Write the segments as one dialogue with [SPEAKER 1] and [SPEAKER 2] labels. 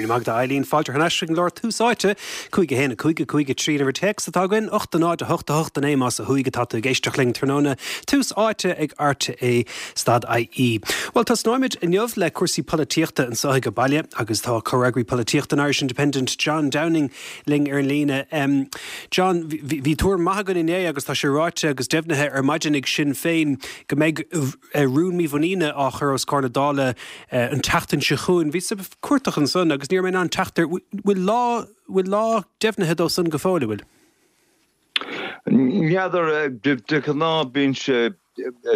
[SPEAKER 1] raibh míle maith agat a Eileen. Fáilte thar n-ais chuig an gclár Tús Áite, 5 1 5 5 3 an uimhir téacs atá againn, 8 0 8 8 9 más ó thuaidh atá tú ag éisteacht linn tráthnóna. Tús Áite ag RTÉ stad IE. Bhuel, tosnóimid inniu le cúrsaí polaitíochta anseo ag baile agus tá comhfhreagraí polaitíochta an Irish Independent John Downing linn ar an líne. John, bhí tuairim maith againn inné agus tá sé ráite agus deimhnithe ar maidin ag Sinn Féin go mbeidh rún mímhuiníne á chur os comhair na Dála an tseachtain seo chugainn. Bhíos ag cuartach ansan agus ní raibh mé in ann teacht air. Bhfuil lá, bhfuil lá deimhnithe dó san go fóill, an bhfuil?
[SPEAKER 2] N'fheadar, de ghnáth bíonn sé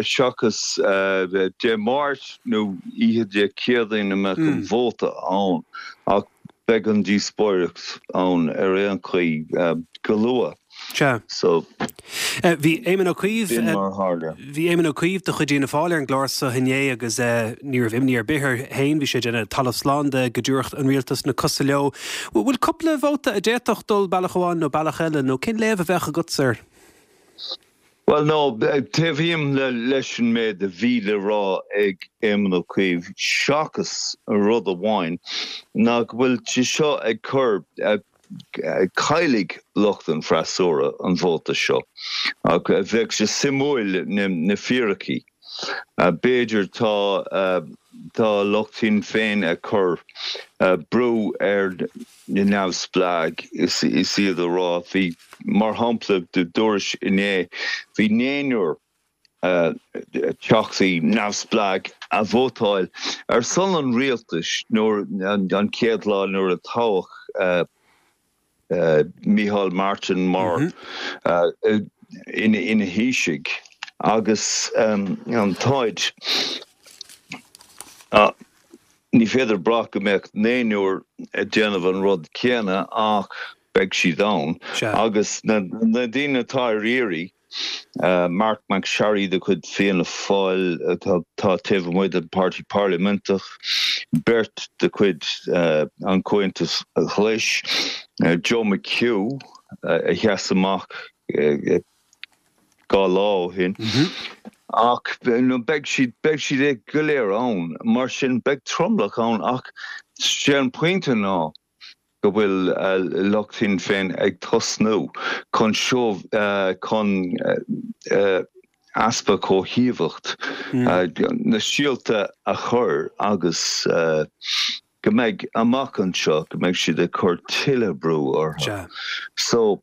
[SPEAKER 2] seachas Dé Máirt nó oíche Dé Céadaoin a mbeadh an vóta ann ach beidh an díospóireacht ann ar aon chaoi go luath.
[SPEAKER 1] Sea.
[SPEAKER 2] So.
[SPEAKER 1] Bhí Éamon Ó Cuív,
[SPEAKER 2] B'in mar a tharla.
[SPEAKER 1] Bhí Éamon Ó Cuív de chuid Fhianna Fáil ar an gclár so inné agus ní raibh imní ar bith air féin, bhí sé ag déanamh talamh slán de go dtabharfadh an rialtas na cosa leo. Bhfuil cúpla vóta a d'fhéadfadh dul bealach amháin nó bealach eile, nó cén léamh a bheadh agatsa air?
[SPEAKER 2] Bhuel, no, taobhaím leis an méid a bhí le rá ag Éamon Ó Cuív, seachas rud amháin, ná go bhfuil sé seo ag cur, caillfidh lucht an freasúra an vóta seo. Ach bheadh sé suimiúil na fíricí. B'fhéidir tá tá lucht Shinn Féin ag cur brú ar na neamhspleáigh is iad ag rá, bhí, mar shampla, dúrais inné, bhí naonúr teachtaí neamhspleách a vótáil ar son an rialtais nuair an chéad lá nuair a toghadh Micheál Martin mar ina Thaoiseach agus táid ní féidir brath go mbeadh naonúr ag déanamh an rud céanna ach beidh siad ann agus na daoine atá ar iarraidh Marc MacSharry de chuid Fianna Fáil atá taobh amuigh den Páirtí Parlaiminteach, beirt de chuid an Chomhaontais Ghlais, Joe McHugh a sheas amach 2 lá ó shin. Ach beidh siad, beidh siad go léir ann, mar sin beidh tromlach ann ach sé an pointe ná, go bhfuil lucht Shinn Féin ag tosnú chun seo chun easpa comhthaobhacht na síolta a chur agus go mbeidh amach anseo go mbeidh siad ag cur tuilleadh brú orthu. So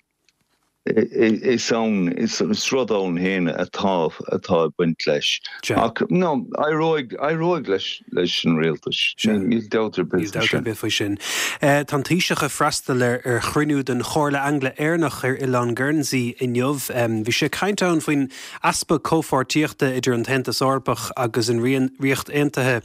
[SPEAKER 2] Is ann, is rud ann féin atá atá ag baint leis. Ach no, éireoidh, éireoidh leis, leis an rialtas. Níl dabht ar bith
[SPEAKER 1] faoi sin. Níl dabht ar bith faoi sin. Tá an Taoiseach ag freastal ar ar chruinniú den Chomhairle Angla-Éireannach ar Oileán Guernsey inniu. Bhí sé ag caint ann faoin easpa comhpháirtíochta idir an tAontas Eorpach agus an Ríocht Aontaithe.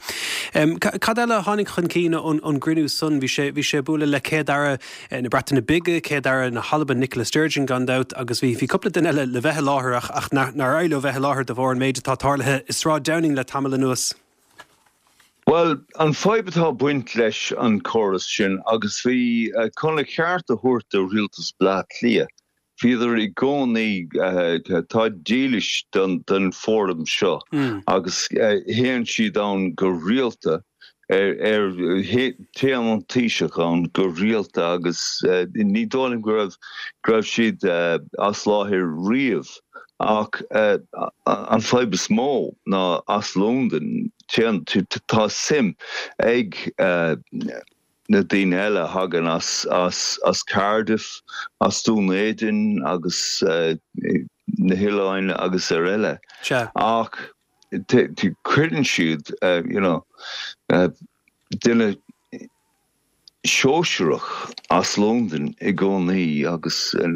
[SPEAKER 1] Cad eile a tháinig chun cinn ón ón gcruinniú san? Bhí sé bhí sé ag bualadh le Céad-Aire na Breataine Bige, Céad-Aire na hAlban Nicola Sturgeon gan dabht agus bhí cúpla duine eile le bheith i láthair ach ach nár éirigh leo bheith i láthair de bharr an méid atá tarlaithe i Sráid Downing le tamall anuas.
[SPEAKER 2] Bhuel, an fadhb atá ag baint leis an córas sin agus bhí, chun a cheart a thabhairt do Rialtas Bhleá Cliath, Bhíodar i gcónaí, táid dílis don fóram seo agus théann siad ann go rialta, ar téann an Taoiseach ann go rialta agus ní dóigh liom go raibh, go raibh siad as láthair riamh ach an fadhb is mó ná as Londain, téann, tá suim ag. na daoine eile a thagann as as Cardiff, as Dún Éideann agus na hoileáin agus ar eile. Ach cuireann siad you know duine sóisearach as Londain i gcónaí agus an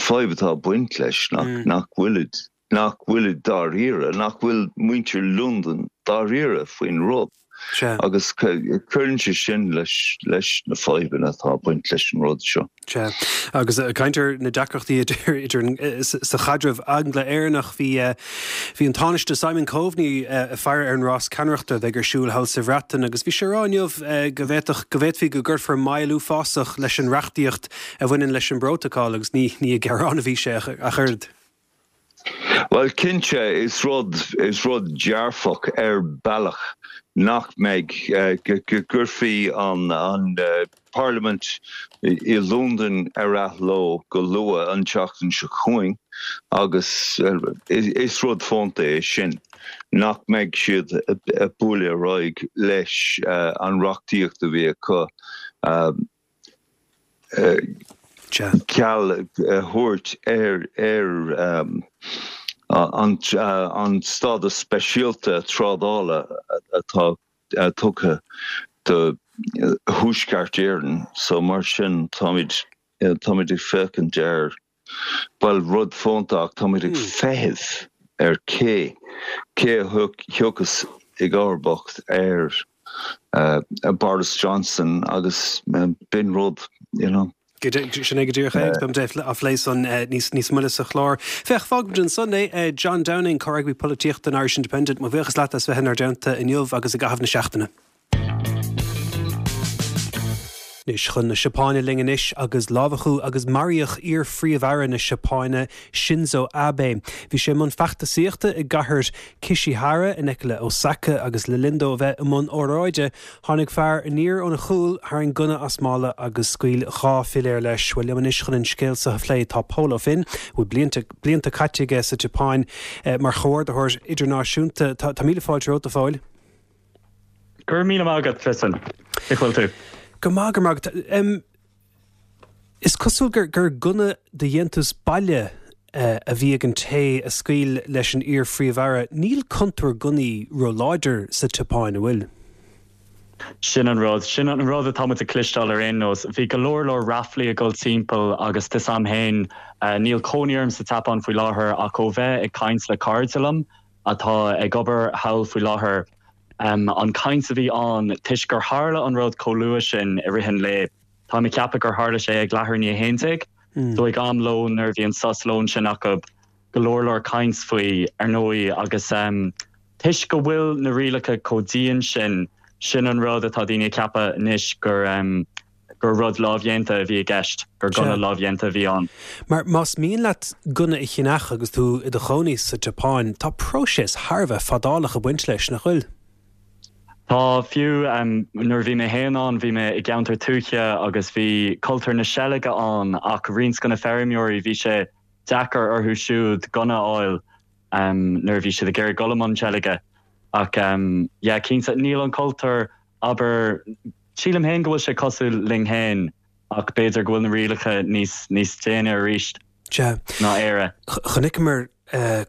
[SPEAKER 2] fadhb atá ag baint leis nach bhfuilid nach bhfuilid dáiríre, nach bhfuil muintir Londain dáiríre faoin rud.
[SPEAKER 1] Sea.
[SPEAKER 2] Agus cuireann sé sin leis leis na fadhbanna atá ag baint leis an rud seo.
[SPEAKER 1] Sea. Agus ag caint ar na deacrachtaí idir idir an sa chaidreamh Angla-Éireannach, bhí bhí an Tánaiste Simon Coveney ag faire ar an rás ceannaireachta a bheidh ar siúl thall sa Bhreatain agus bhí sé ag rá inniu go bhféadfadh go bhféadfaí go gcuirfear moill uafásach leis an reachtaíocht a bhaineann leis an bprótacal agus ní ní ag gearán a bhí sé ach oiread.
[SPEAKER 2] Bhuel, cinnte, is rud, is rud dearfach ar bealach nach mbeidh, go gcuirfí an, an Parlaimint i Londain ar athló go luath an tseachtain seo chugainn agus is rud fónta é sin nach mbeidh siad ag bualadh ar aghaidh leis an reachtaíocht a bhí acu. Ceal a thabhairt ar an stádas speisialta trádála atá tugtha do Thuaisceart Éireann. So mar sin táimid táimid ag féachaint ar, bhuel, rud fónta ach táimid ag feitheamh ar cé cé a thiocfas i gcomharbacht ar Boris Johnson agus b'in rud, you know.
[SPEAKER 1] Sin é go díreach é agus beimid á phlé san níos moille sa chlár. Féach, fágfaimid ansan é. John Downing, Comhfhreagraí Polaitíochta an Irish Independent, mo bhuíochas leat as bheith inár dteannta inniu agus i gcaitheamh na seachtaine. Anois chun na Seapáine linn anois agus lámhachadh agus maraíodh iar-phríomh-aire na Seapáine, Shinzo Abe. Bhí sé i mbun feachtasaíochta i gcathair Kishihara in aice le Osaka agus le linn dó a bheith i mbun óráide, tháinig fear aniar óna chúl, tharraing gunna as mála agus scaoil 2 philéar leis. Bhuel, liom anois chun an scéal seo a phlé tá Pól Ó Finn, a bhfuil blianta, blianta caite aige sa tSeapáin mar chomhordaitheoir idirnáisiúnta. Tá, tá míle fáilte romhat, a Phóil.
[SPEAKER 3] Go raibh míle maith agat, Tristan. Cén chaoi a bhfuil tú?
[SPEAKER 1] Go maith, go raibh maith agat. Is cosúil gur gur gunna de dhéantús baile a bhí ag an té a scaoil leis an iar-phríomh-aire. Níl cultúr gunnaí ró-láidir sa tSeapáin, an bhfuil?
[SPEAKER 3] Sin an rud. Sin an rud atá muid ag cloisteáil ar aon nós. Bhí go leor leor raflaí ag dul timpeall agus tá 'fhios a'm féin, níl cónaí orm sa tSeapáin faoi láthair ach ó bheith ag caint le cairde liom atá ag obair thall faoi láthair, an chaint a bhí ann toisc gur tharla an rud chomh luath sin i rith an lae, Táim ag ceapadh gur tharla sé ag leathuair i ndiaidh a haon déag, so ag am lóin nuair a bhí an sos lóin sin acu, go leor leor caint faoi, ar ndóigh, agus toisc go bhfuil na rialacha chomh dian sin, sin an rud atá daoine ag ceapadh anois gur gur rud lámhdhéanta a bhí i gceist, gur gunna lámhdhéanta a bhí ann.
[SPEAKER 1] Mar más mian leat gunna a cheannach agus tú i do chónaí sa tSeapáin, tá próiseas thar a bheith fadálach ag baint leis, nach bhfuil?
[SPEAKER 3] Tá, fiú nuair a bhí mé féin ann, bhí mé i gceantar tuaithe agus bhí cultúr na seilge ann ach roinnt de na feirmeoirí, bhí sé deacair orthu siúd gunna a fháil nuair a bhí siad ag iarraidh dul i mbun seilge. Ach yeah, cinnte, níl an cultúr, abair, sílim féin go bhfuil sé cosúil linn féin ach b'fhéidir go bhfuil na rialacha níos, níos déine arís ná Éire.
[SPEAKER 1] Chonaiceamar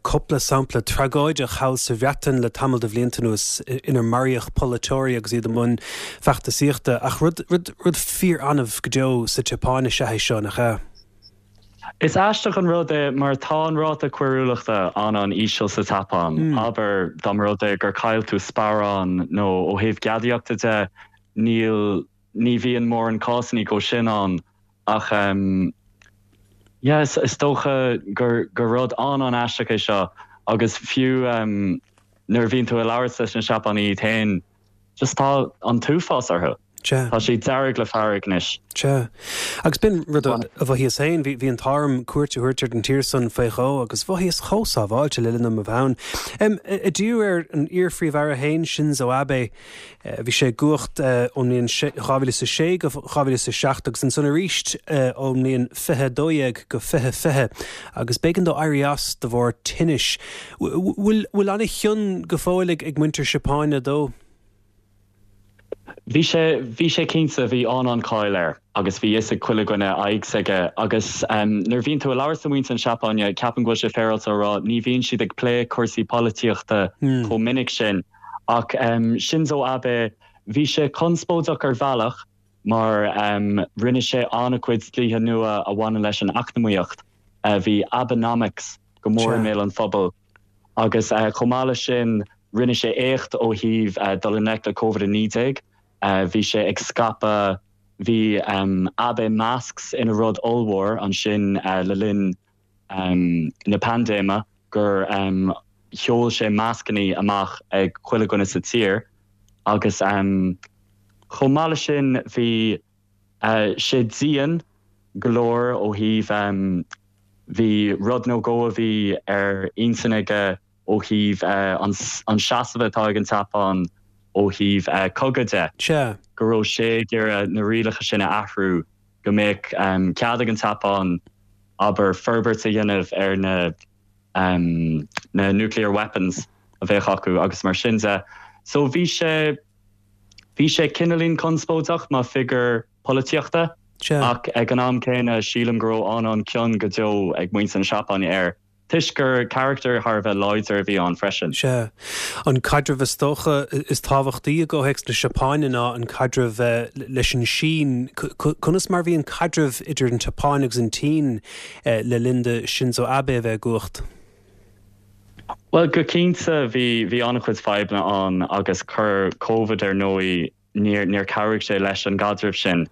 [SPEAKER 1] cúpla sampla tragóideach thall sa Bhreatain le tamall de bhlianta anuas inar maraíodh polaiteoirí agus iad i mbun feachtasaíochta, ach rud, rud, rud fíor-annamh go deo sa tSeapáin is ea é seo, nach ea?
[SPEAKER 3] Is aisteach an rud é mar tá an ráta coiriúlachta an-an-íseal sa tSeapáin. Abair, dá mba rud é gur chaill tú sparán nó ó thaobh gadaíochta de, níl, ní bhíonn mórán cásanna de sin ann ach yeah is dócha gur gur rud an-an-aisteach é seo agus fiú nuair a bhíonn tú ag labhairt leis na Seapánaigh iad féin just tá an t-uafás orthu.
[SPEAKER 1] Sea.
[SPEAKER 3] Tá siad dearg le fearg anois.
[SPEAKER 1] Sea. Agus b'in rud a mhothaíos féin, bhí an t-ádh orm cuairt a thabhairt ar an tír san faoi dhó agus mhothaíos chomh sábháilte le linn dom a bheith ann. Ag díriú ar an iar-phríomh-aire féin, Shinzo Abe, Bhí sé i gcumhacht ón mbliain 2006 go 2007 agus ansan arís ón mbliain 2012 go 2020 agus b'éigean dó éirí as de bharr tinnis. Bhfuil bhfuil an-chion go fóill ag muintir na Seapáine dó?
[SPEAKER 3] Bhí sé, bhí sé cinnte, bhí an-an-cháil air agus bhí fhios ag chuile dhuine aghaidh s'aige agus nuair a bhíonn tú ag labhairt le muintir na Seapáine, ceapaim go bhfuil sé féaráilte a rá, ní bhíonn siad ag plé cúrsaí polaitíochta chomh minic sin. Ach Shinzo Abe, bhí sé conspóideach ar bhealach mar rinne sé an-chuid dlíthe nua a bhaineann leis an eacnamaíocht. Bhí Abenomics go mór i mbéal an phobail. Agus chomh maith leis sin, rinne sé éacht ó thaobh dul i ngleic le Covid-19. Bhí sé ag scaipeadh, bhí Abe masks ina rud ollmhór ansin le linn na paindéime gur sheol sé mascannaí amach ag chuile dhuine sa tír agus chomh maith leis sin bhí sé dian go leor ó thaobh. Bhí rud nó dhó a bhí ar intinn aige ó thaobh an seasamh atá ag an tSeapáin ó thaobh cogadh de, go raibh sé ag iarraidh na rialacha sin a athrú go mbeadh cead ag an tSeapáin, abair, forbairt a dhéanamh ar na na nuclear weapons a bheadh acu agus mar sin de. So bhí sé, bhí sé cineáilín conspóideach mar figiúr polaitíochta ach ag an am céanna sílim go raibh an-an-cion go deo ag muintir na Seapáine air toisc gur carachtar thar a bheith láidir a bhí ann freisin.
[SPEAKER 1] Sea. An caidreamh is dócha is tábhachtaí i gcomhthéacs na Seapáine ná an caidreamh leis an Sín. Conas mar a bhí an caidreamh idir an tSeapáin agus an tSín le linn do Shinzo Abe a bheith i gcumhacht?
[SPEAKER 3] Bhuel, go cinnte bhí, bhí an-chuid fadhbanna ann agus chuir Covid ar ndóigh, níor, níor chabhraigh sé leis an gcaidreamh sin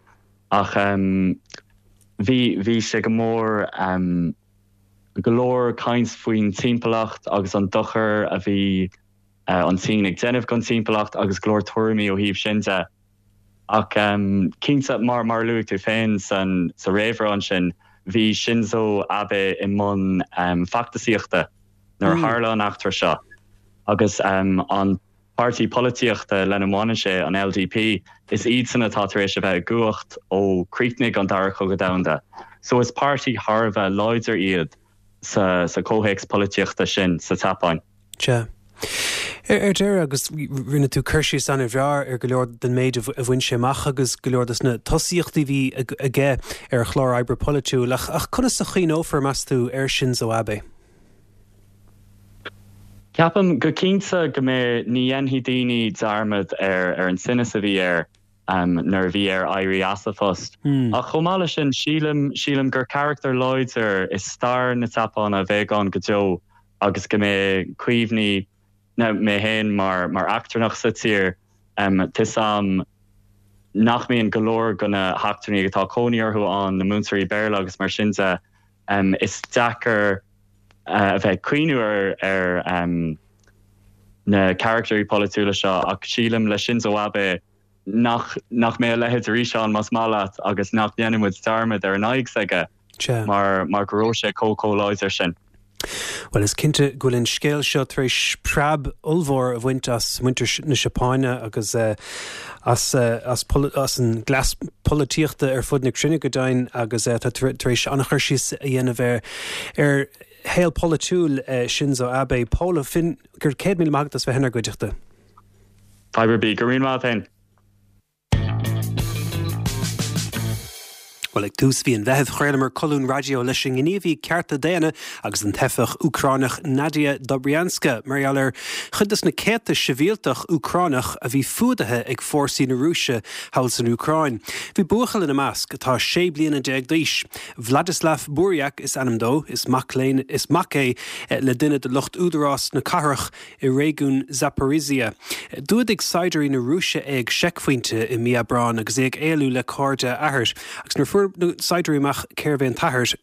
[SPEAKER 3] ach bhí, bhí sé go mór, go leor caint faoin timpeallacht agus an dochar a bhí an tSín ag déanamh don timpeallacht agus go leor tuairimí ó thaobh sin de. Ach cinnte, mar mar a luaigh tú féin san sa réamhrá ansin, bhí Shinzo Abe i mbun feachtasaíochta nuair a tharla an eachtra seo agus an páirtí polaitíochta lena mbaineann sé, an LDP, is iadsan atá tar éis a bheith i gcumhacht ó chríochnaigh an Dara Cogadh Domhanda. So is páirtí thar a bheith láidir iad sa sa chomhthéacs polaitíochta sin sa tSeapáin.
[SPEAKER 1] Sea. Ar deireadh, agus rinne tú cur síos an-bhreá ar go leor den méid a bhain sé amach agus go leor de na tosaíochtaí a bhí aige ar a chlár oibre polaitiúil, ach conas a chuimhneofar, meas tú, ar Shinzo Abe?
[SPEAKER 3] Ceapaim go cinnte go mbeidh, ní dhéanfaidh daoine dearmad ar ar an tinneas a bhí air nuair a bhí air éirí as a phost. Ach chomh maith leis sin, sílim, sílim gur carachtar láidir i stair na Seapáine a bheidh ann go deo agus go mbeidh cuimhní, now mé féin mar mar eachtrannach sa tír, tá 'fhios a'm nach mbíonn go leor de na heachtrannaigh atá cónaí orthu ann, na múinteoirí Béarla agus mar sin de, is deacair a bheith ag cuimhniú ar ar na carachtarí polaitiúla seo ach sílim le Shinzo Abe nach nach mbeidh a leithéid arís ann más maith leat agus nach ndéanfaidh muid dearmad ar an aghaidh s'aige mar mar go raibh sé chomh chomh láidir sin.
[SPEAKER 1] Bhuel, is cinnte go bhfuil an scéal seo tar éis preab ollmhór a bhaint as muintir na Seapáine agus as as as an gcleas polaitíochta ar fud na cruinne go deimhin agus tá tar éis an-chur síos a dhéanamh ar ar shaol polaitiúil Shinzo Abe. Pól Ó Finn, go raibh 100,000 maith agat as bheith inár gcuideachta.
[SPEAKER 3] Fadhb ar bith. Go raibh míle maith agat féin.
[SPEAKER 1] Bhuel, ag tús mhí an Mheithimh, chraolamar colún raidió leis an ngníomhaí cearta daonna agus an teifeach Úcránach Nadia Dobrianska mar gheall ar chuid de na céadta sibhialtach Úcránach a bhí fuadaithe ag fórsaí na Rúise thall san Úcráin. Bhí buachaill ina measc atá 16 bliana d'aois. Vladislav Buriak is ainm dó. Is mac léinn, is mac é le duine de lucht údarás na cathrach i réigiún Zaporizhzhia. D'fhuadaigh saighdiúirí na Rúise é ag seicphointe i mí Aibreáin agus é ag éalú le cairde a athar. Agus nuair a fuair na saighdiúirí amach cérbh é an t-athair,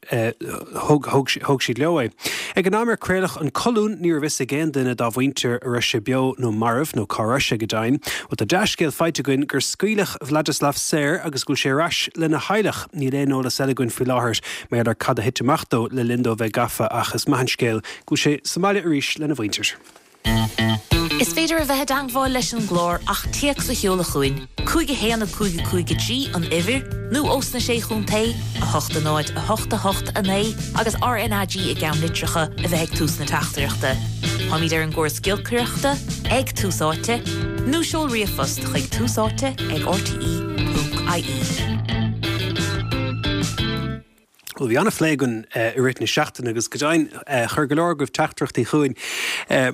[SPEAKER 1] thóg siad leo é. Ag an am ar craoladh an colún, ní raibh fhios ag aon duine dá mhuintir an raibh sé beo nó marbh, nó cá raibh sé go deimhin. Bhuel, tá dea-scéal faighte againn gur scaoileadh Vladislav saor agus go bhfuil sé ar ais lena theaghlach. Níl aon eolas eile againn faoi láthair mar gheall ar cad a thit amach dó le linn dó a bheith gafa ach is maith an scéal go bhfuil sé sa mbaile arís lena mhuintir.
[SPEAKER 4] Is féidir a bheith i dteangmháil leis an gclár ach téacs a sheoladh chugainn, 5 1 5 5 3 an uimhir, nó ós na Sé Chontae, 8 0 8 8 9 agus RnaG i gceannlitreacha a bheith ag tús na teachtaireachta. Táimid ar an gcóras giolcaireachta, ag Tús Áite, nó seol ríomhphost chuig túsáite ag rte.ie.
[SPEAKER 1] Bhuel, bhí an-phlé againn i rith na seachtaine agus go deimhin chuir go leor agaibh teachtaireachtaí chugainn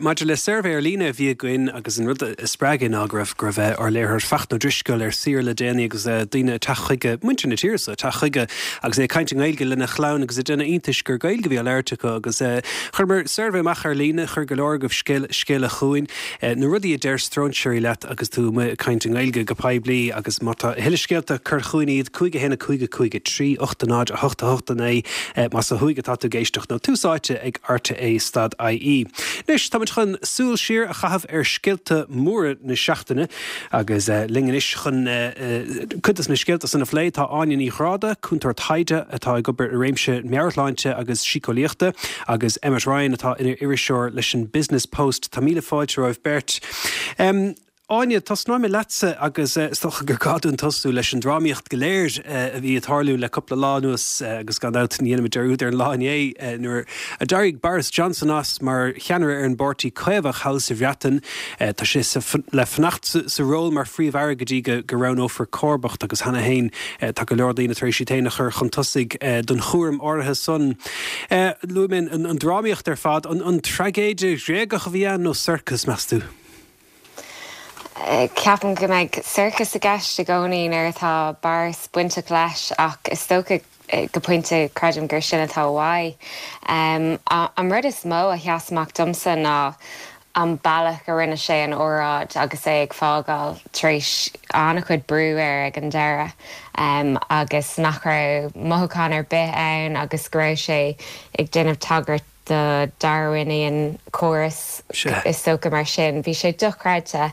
[SPEAKER 1] maidir le suirbhé ar líne a bhí againn agus an rud a spreag é ná go raibh go raibh ár léiritheoir Fachtna Ó Drisceoil ar saoire le déanaí agus daoine ag teacht chuige, muintir na tíre so, ag teacht chuige agus é ag caint i nGaeilge lena chlann agus ag déanamh iontais gur Gaeilge a bhí á labhairt acu agus chuireamar suirbhé amach ar líne, chuir go leor agaibh scéala chugainn, na rudaí a deir stróinséirí leat agus tú amuigh ag caint i nGaeilge go poiblí agus má tá a thuilleadh scéalta, cuir chugainn iad, 5 1 5 5 3 8 0 8 8. 8 9 más ó thuaidh atá tú ag éisteacht nó Tús Áite ag RTÉ stad IE. Anois, táimid chun súil siar a chaitheamh ar scéalta móra na seachtaine agus linn anois chun cuid de na scéalta san a phlé tá Áine Ní Ghráda, cúntóir taighde atá ag obair i réimse meabhairshláinte agus síceolaíochta agus Emmet Ryan atá ina iriseoir leis an Business Post. Tá míle fáilte romhaibh beirt. Áine, tosnóidh mé leatsa agus is dócha gur gá dúinn tosú leis an drámaíocht go léir a bhí ag tarlú le cúpla lá anuas agus gan dabht ní dhéanfaimid dearúd ar an lá inné nuair a d'éirigh Boris Johnson as mar cheannaire ar an bPáirtí Caomhach thall sa Bhreatain. Tá sé le fanacht sa ról mar Phríomh-Aire go dtí go roghnófar comharbacht agus cheana féin tá go leor daoine tar éis iad féin a chur chun tosaigh don chúram áirithe san. Luaigh mé an drámaíocht ar fad. An traigéide Ghréagach a bhí ann nó sorcas, meas tú?
[SPEAKER 5] Ceapaim go mbeidh sorcas i gceist i gcónaí nuair atá Boris bainteach leis ach is dócha go pointe creidim gur sin atá uaidh. An rud is mó a sheas amach domsa ná an bealach a rinne sé an óráid agus é ag fágáil tar éis an-chuid brú air ag an deireadh agus nach raibh mothúchán ar bith ann agus go raibh sé ag déanamh tagairt do Darwinian córas is dócha mar sin. Bhí sé dochreidte,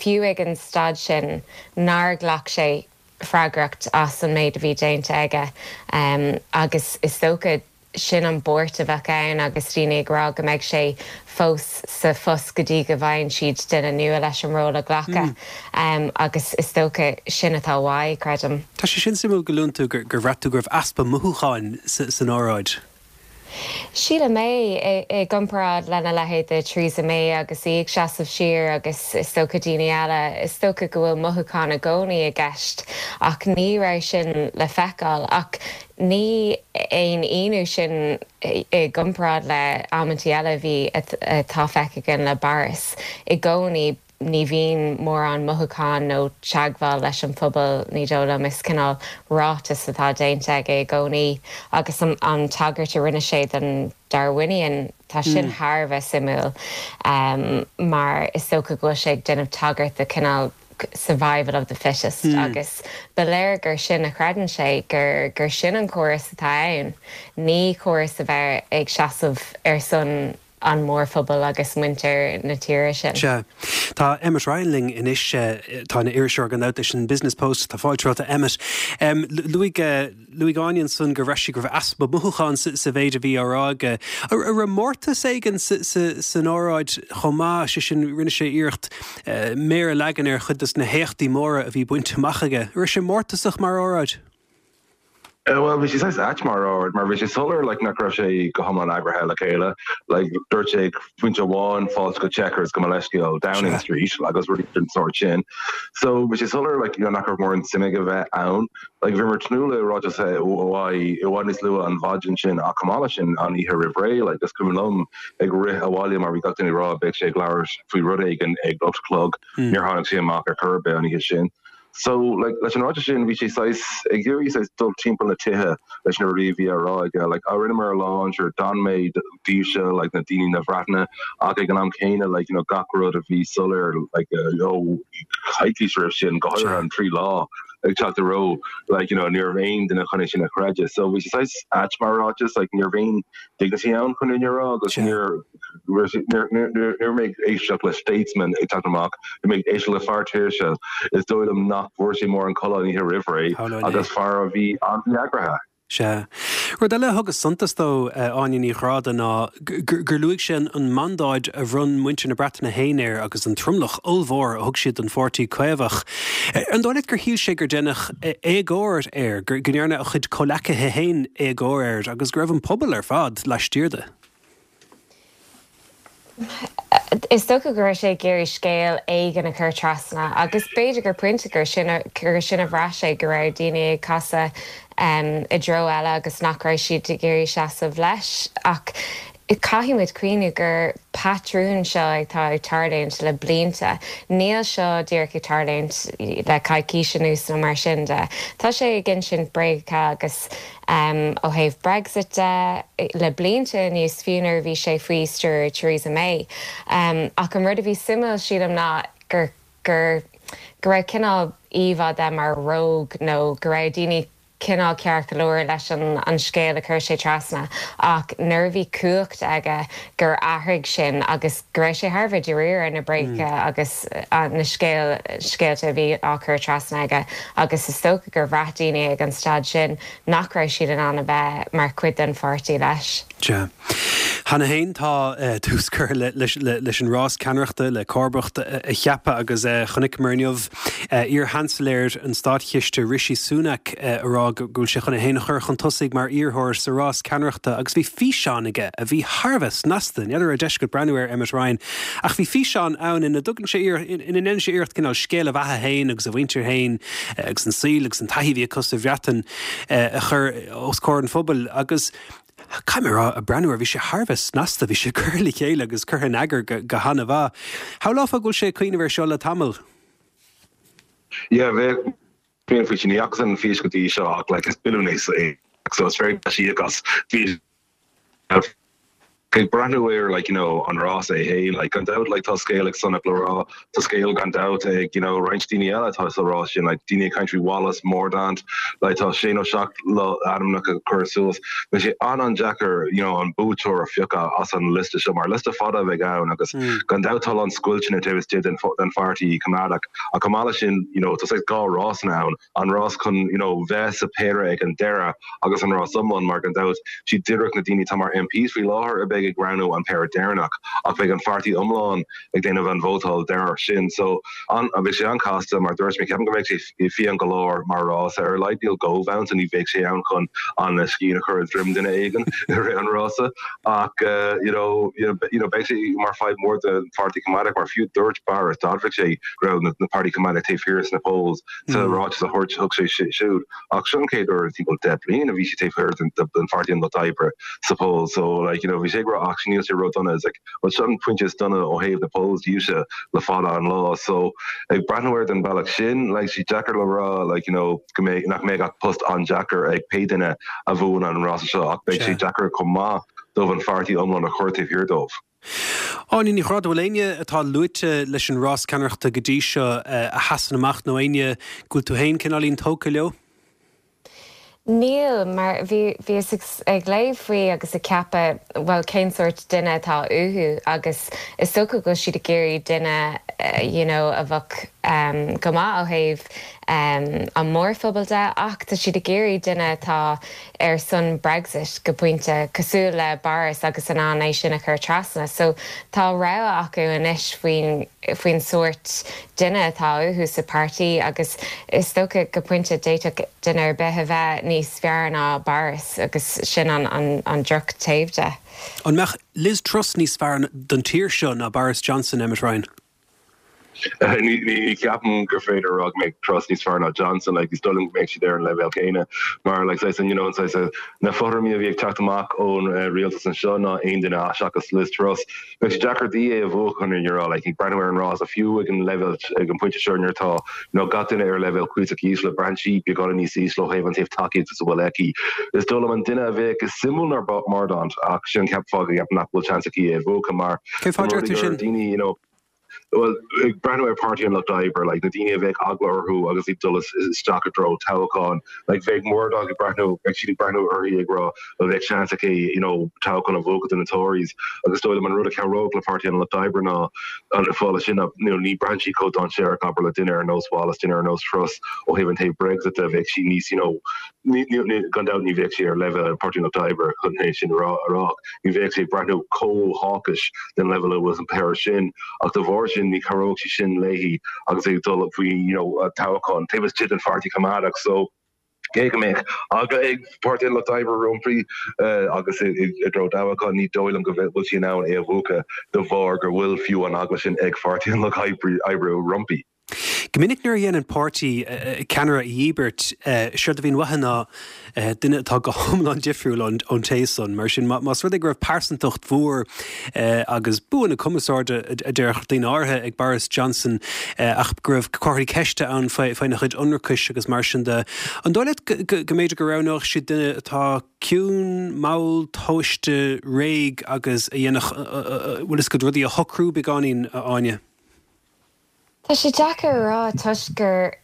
[SPEAKER 5] fiú ag an staid sin, nár ghlac sé freagracht as an méid a bhí déanta aige agus is dócha sin an buairt a bheadh ann agus daoine ag rá go mbeidh sé fós sa phost go dtí go bhfaigheann siad duine nua leis an ról a ghlacadh agus is dócha sin atá uaidh, creidim.
[SPEAKER 1] Tá sé sin suimiúil go luann tú gur bhraith tú go raibh easpa mothúcháin san óráid.
[SPEAKER 5] Sílim é, i gcomparáid lena leithéid de Theresa May agus í ag seasamh siar agus is dócha daoine eile, is dócha go bhfuil mothúcháin i gcónaí i gceist ach ní raibh sin le feiceáil. Ach ní aon ionadh sin i gcomparáid le amantaí eile a bhí, atá feicthe againn le Boris. I gcónaí. Ní bhíonn mórán mothúchán nó teagmháil leis an phobal, ní dóigh liom. Is cineál ráiteas atá déanta aige i gcónaí agus an tagairt a rinne sé don Darwinian, tá sin thar a bheith suimiúil mar is dócha go bhfuil sé ag déanamh tagairt do cineál survival of the fittest agus ba léir gur sin a chreideann sé, gur gur sin an córas atá ann, ní córas a bheith ag seasamh ar son an mórphobal agus muintir na tíre sin.
[SPEAKER 1] Sea. Tá Emmet Ryan linn anois. Tá ina iriseoir gan dabht leis an Business Post. Tá fáilte romhat a Emmet. Luaigh luaigh Áine ansan gur bhraith sí go raibh easpa mothúchán sa mhéid a bhí á rá aige. An raibh mórtas éigin san óráid chomh maith, sé sin rinne sé iarracht méar a leagan ar chuid de na héachtaí móra a bhí bainte amach aige. An raibh sé mórtasach mar óráid?
[SPEAKER 6] Bhuel, bhí sé saghas ait mar óráid, mar bhí sé soiléir like nach raibh sé go hiomlán eagraithe le chéile. Like dúirt sé ag pointe amháin fáilte go Chequers gabh mo leithscéal Downing Street agus rudaí den sórt sin. So bhí sé soiléir like you know nach raibh mórán suim aige bheith ann. Like bhíomar ag tnúth le ráiteas uaidh i bhfad níos luaithe an mhaidin sin ach chomh maith leis sin an oíche roimh ré like is cuimhin liom ag rith abhaile mar bhí gach duine ag rá beidh sé ag labhairt faoi rud éigin ag 8 a chlog. Níor tháinig sé amach ar chor ar bith an oíche sin. So, like, leis an ráiteas sin, bhí sé saghas ag iarraidh saghas dul timpeall na tithe leis na rudaí a bhí á rá aige. Like, á, rinneamar a lán, sure, d'fhan mé daoibhse, like, na daoine na Breataine, ach ag an am céanna, like, you know, gach rud a bhí soiléir, like, ó choicís roimh sin, go háirithe an trí lá ag teacht i reo, like, you know, ní raibh aon duine chun é sin a chreideamh. So, bhí sé saghas ait mar ráiteas, like, ní raibh aon dignity ann chun an fhírinne a rá agus níor Ní raibh mé ag éisteacht le statesman ag teacht amach, bhí mé ag éisteacht le fear tuirseach. Is dóigh liom nach bhfuair sé mórán codladh an oíche roimh ré agus fear a bhí an-mhí-eagraithe.
[SPEAKER 1] Sea. Rud eile a thugas suntas dó, Áine Ní Ghráda, ná gur luaigh sé an mandáid a bhronn muintir na Breataine féin air agus an tromlach ollmhór a thug siad don Pháirtí Caomhach. An dóigh leat gur shíl sé gur deineadh éagóir air, go ndearna a chuid comhleacaithe féin éagóir air agus go raibh an pobal ar fad laistiar de?
[SPEAKER 5] Is dócha go raibh sé ag iarraidh scéal éigin a chur trasna agus b'fhéidir gur pointe gur sin gur sin a bhraith sé, go raibh daoine ag casadh i dtreo eile agus nach raibh siad ag iarraidh seasamh leis. Ach caithfidh muid cuimhniú gur patrún seo atá ag tarlúint le blianta. Níl seo díreach ag tarlúint le coicís anuas nó mar sin de. Tá sé ag insint bréagacha agus Ó thaobh Brexit de, le blianta anuas, fiú nuair a bhí sé faoi stiúir Theresa May. Ach an rud a bhí suimiúil, sílim, ná gur, gur, go raibh cineál íomhá de mar rogue nó go raibh daoine. cineál ceart go leor leis an an scéal a chuir sé trasna ach nuair a bhí cumhacht aige gur athraigh sin agus go raibh sé thar a bheith dáiríre ar na bréaga agus na scéal scéalta a bhí á chur trasna aige agus is dócha gur bhraith daoine ag an staid sin nach raibh siad in ann a bheith mar chuid den pháirtí leis.
[SPEAKER 1] Sea. Cheana féin tá tús curtha leis an rás ceannaireachta le comharbacht a cheapadh agus chonaiceamar inniu iar-Sheansailéir an Státchiste Rishi Sunak ag rá go bhfuil sé chun é féin a chur chun tosaigh mar iarrthóir sa rás ceannaireachta agus bhí físeán aige a bhí thar a bheith snasta, n'fheadar an raibh deis agat breathnú air Emmet Ryan, ach bhí físeán ann ina dtugann sé ina ndéanann sé iarracht cineál scéal a bheatha féin agus a mhuintir féin agus an saol agus an taithí a bhí acu sa Bhreatain a chur os comhair an phobail agus Caithfidh mé a rá, ag breathnú air, bhí sé thar a bheith snasta, bhí sé curtha le chéile agus curtha in eagar go han-mhaith. Shamhlófá go bhfuil sé ag cuimhneamh air seo le tamall.
[SPEAKER 6] Yeah, bheadh féin faoi sin. Ní fhacas an fís go dtí seo ach like is billiún é so is féidir leis íoc as fís. Ag breathnú ar like you know an rás é féin like gan dabht like tá scéal ag Sunak le rá, tá scéal gan dabht ag you know roinnt daoine eile atá sa rás sin like daoine ag caint faoi Wallace, Mordaunt, like tá sé nó seacht ainmneacha curtha suas. Beidh sé an-an-deacair you know an buaiteoir a phiocadh as an liosta seo mar liosta fada a bheidh ann agus gan dabht tá a lán scoilteanna taobh istigh den den pháirtí coimeádach ach chomh maith leis sin you know tá saghas dhá rásanna ann. an rás chun you know bheith sa péire ag an deireadh agus an rás iomlán mar gan dabht siad díreach na daoine atá mar MPs faoi láthair a bheidh ag roghnú an péire deireanach ach beidh an pháirtí iomlán ag déanamh an vótáil deireanach sin so an beidh sé an-chasta mar dúirt mé ceapaim go mbeidh sé fiáin go leor mar rás ar a laghad níl Gove ann so ní bheidh sé ann chun an scian a chur i droim duine éigin i rith an rása ach you know you know beidh sé mar fadhb mór don pháirtí coimeádach mar fiú dúirt Boris d'admhaigh sé go raibh na páirtí coimeádach taobh thiar sna polls Sa ráiteas a thabhairt thug sé siúd, ach seo an chéad uair i timpeall 10 bliain a bhí sé taobh thiar den Pháirtí an Lucht Oibre sa poll so like you know bhí sé ag rá ach níl sé ró-dona is like well seo an pointe is dona ó thaobh na polls díobhse le fada an lá so ag breathnú air den bealach sin like sé deacair le rá like you know go mbeidh nach mbeidh ach post an-deacair ag pé duine a bhuann an rása seo ach beidh sé deacair chomh maith dóibh an pháirtí iomlán a chur taobh thiar dóibh.
[SPEAKER 1] Áine Ní Ghráda, bhfuil éinne atá luaite leis an rás ceannaireachta go dtí seo a sheasann amach nó éinne go bhfuil tú féin cineáilín tógtha leo?
[SPEAKER 5] Níl, mar bhí, bhíos ag léamh faoi agus ag ceapadh, bhuel, cén sórt duine atá uathu agus is dócha go bhfuil siad ag iarraidh duine you know a bheadh go maith ó thaobh an mórphobal de ach tá siad ag iarraidh duine atá ar son Brexit go pointe, cosúil le Boris agus in ann é sin a chur trasna. So tá rogha acu anois faoin faoin sórt duine atá uathu sa páirtí agus is dócha go pointe d'fhéadfadh duine ar bith a bheith níos fearr ná Boris agus sin an an an droch taobh de.
[SPEAKER 1] An mbeadh Liz Truss níos fearr don tír seo ná Boris Johnson, Emmet Ryan?
[SPEAKER 6] Ní cheapaim gur féidir a rá go mbeidh Truss níos fearr ná Johnson, like, is dóigh liom go mbeidh siad ar an leibhéal céanna mar like, saghas, you know, saghas, na fothraimí a bhí ag teacht amach ón rialtas anseo ná aon duine seachas Liz Truss. Beidh sé deacair di é a bhuachan you know, like, ag breathnú ar an rás fiú ag an leibhéal ag an pointe seo nuair atá you know, gach duine ar leibhéal cuíosach ísle, braitheann sí beagáinín níos ísle ó thaobh an taobh tacaíochta is a bhfuil aici. Is dóigh liom an duine a bheadh is suimiúil ná Mordaunt ach sin an fáth go gceapaim nach bhfuil seans aici é a bhuachan mar
[SPEAKER 1] Cén fáth a deir tú sin?
[SPEAKER 6] daoine, you know, Bhuel, ag breathnú ar Páirtí an Lucht Oibre, like, na daoine a bheadh eagla orthu agus iad dul isteach i dtreo toghcháin, like, bheadh Mordaunt ag breathnú, bheadh siad ag breathnú uirthi ag rá, bhuel, bheadh seans aici, you know, toghchán a bhuachan do na Tories. Agus is dóigh liom an rud a chabhródh le Páirtí an Lucht Oibre ná an fáth leis sin ná, you know, ní braitheann sí chomh dainséarach, abair, le duine ar nós Wallace, duine ar nós Truss ó thaobh an taobh Brexit de, bheadh sí níos, you know, ní, ní, ní, gan dabht ní bheadh sí ar leibhéal Páirtí an Lucht Oibre chun é sin a rá, a rá. Ní bheadh sí ag breathnú chomh hawkish den leibhéal a bhfuil an péire sin ach de bharr sin ní chabhródh sí sin léi agus é ag dul faoi you know toghchán taobh istigh den pháirtí coimeádach so cé go mbeadh eagla ag Páirtí an Lucht Oibre roimpi agus i dtreo toghchán ní dóigh liom go bhfuil sí in ann é a bhuachan de bharr go bhfuil fiú an eagla sin ag Pháirtí an Lucht Oibre roimpi.
[SPEAKER 1] Go minic nuair a dhéanann páirtí ceannaire a dhíbirt, séard a bhíonn uathu ná duine atá go hiomlán difriúil ón té san. Mar sin, más rud é go raibh pearsantacht mhór agus bua na cumarsáide, a déarfadh daoine áirithe, ag Boris Johnson, ach go raibh comharthaí ceiste ann faoina chuid ionracais agus mar sin de, an dóigh leat go mb'fhéidir go roghnódh siad duine atá ciúin, mall, tomhaiste, réidh agus a dhéanfadh, bhfuil fhios agat, rudaí a shocrú beagáinín, a Áine?
[SPEAKER 5] Tá sé deacair a rá toisc gur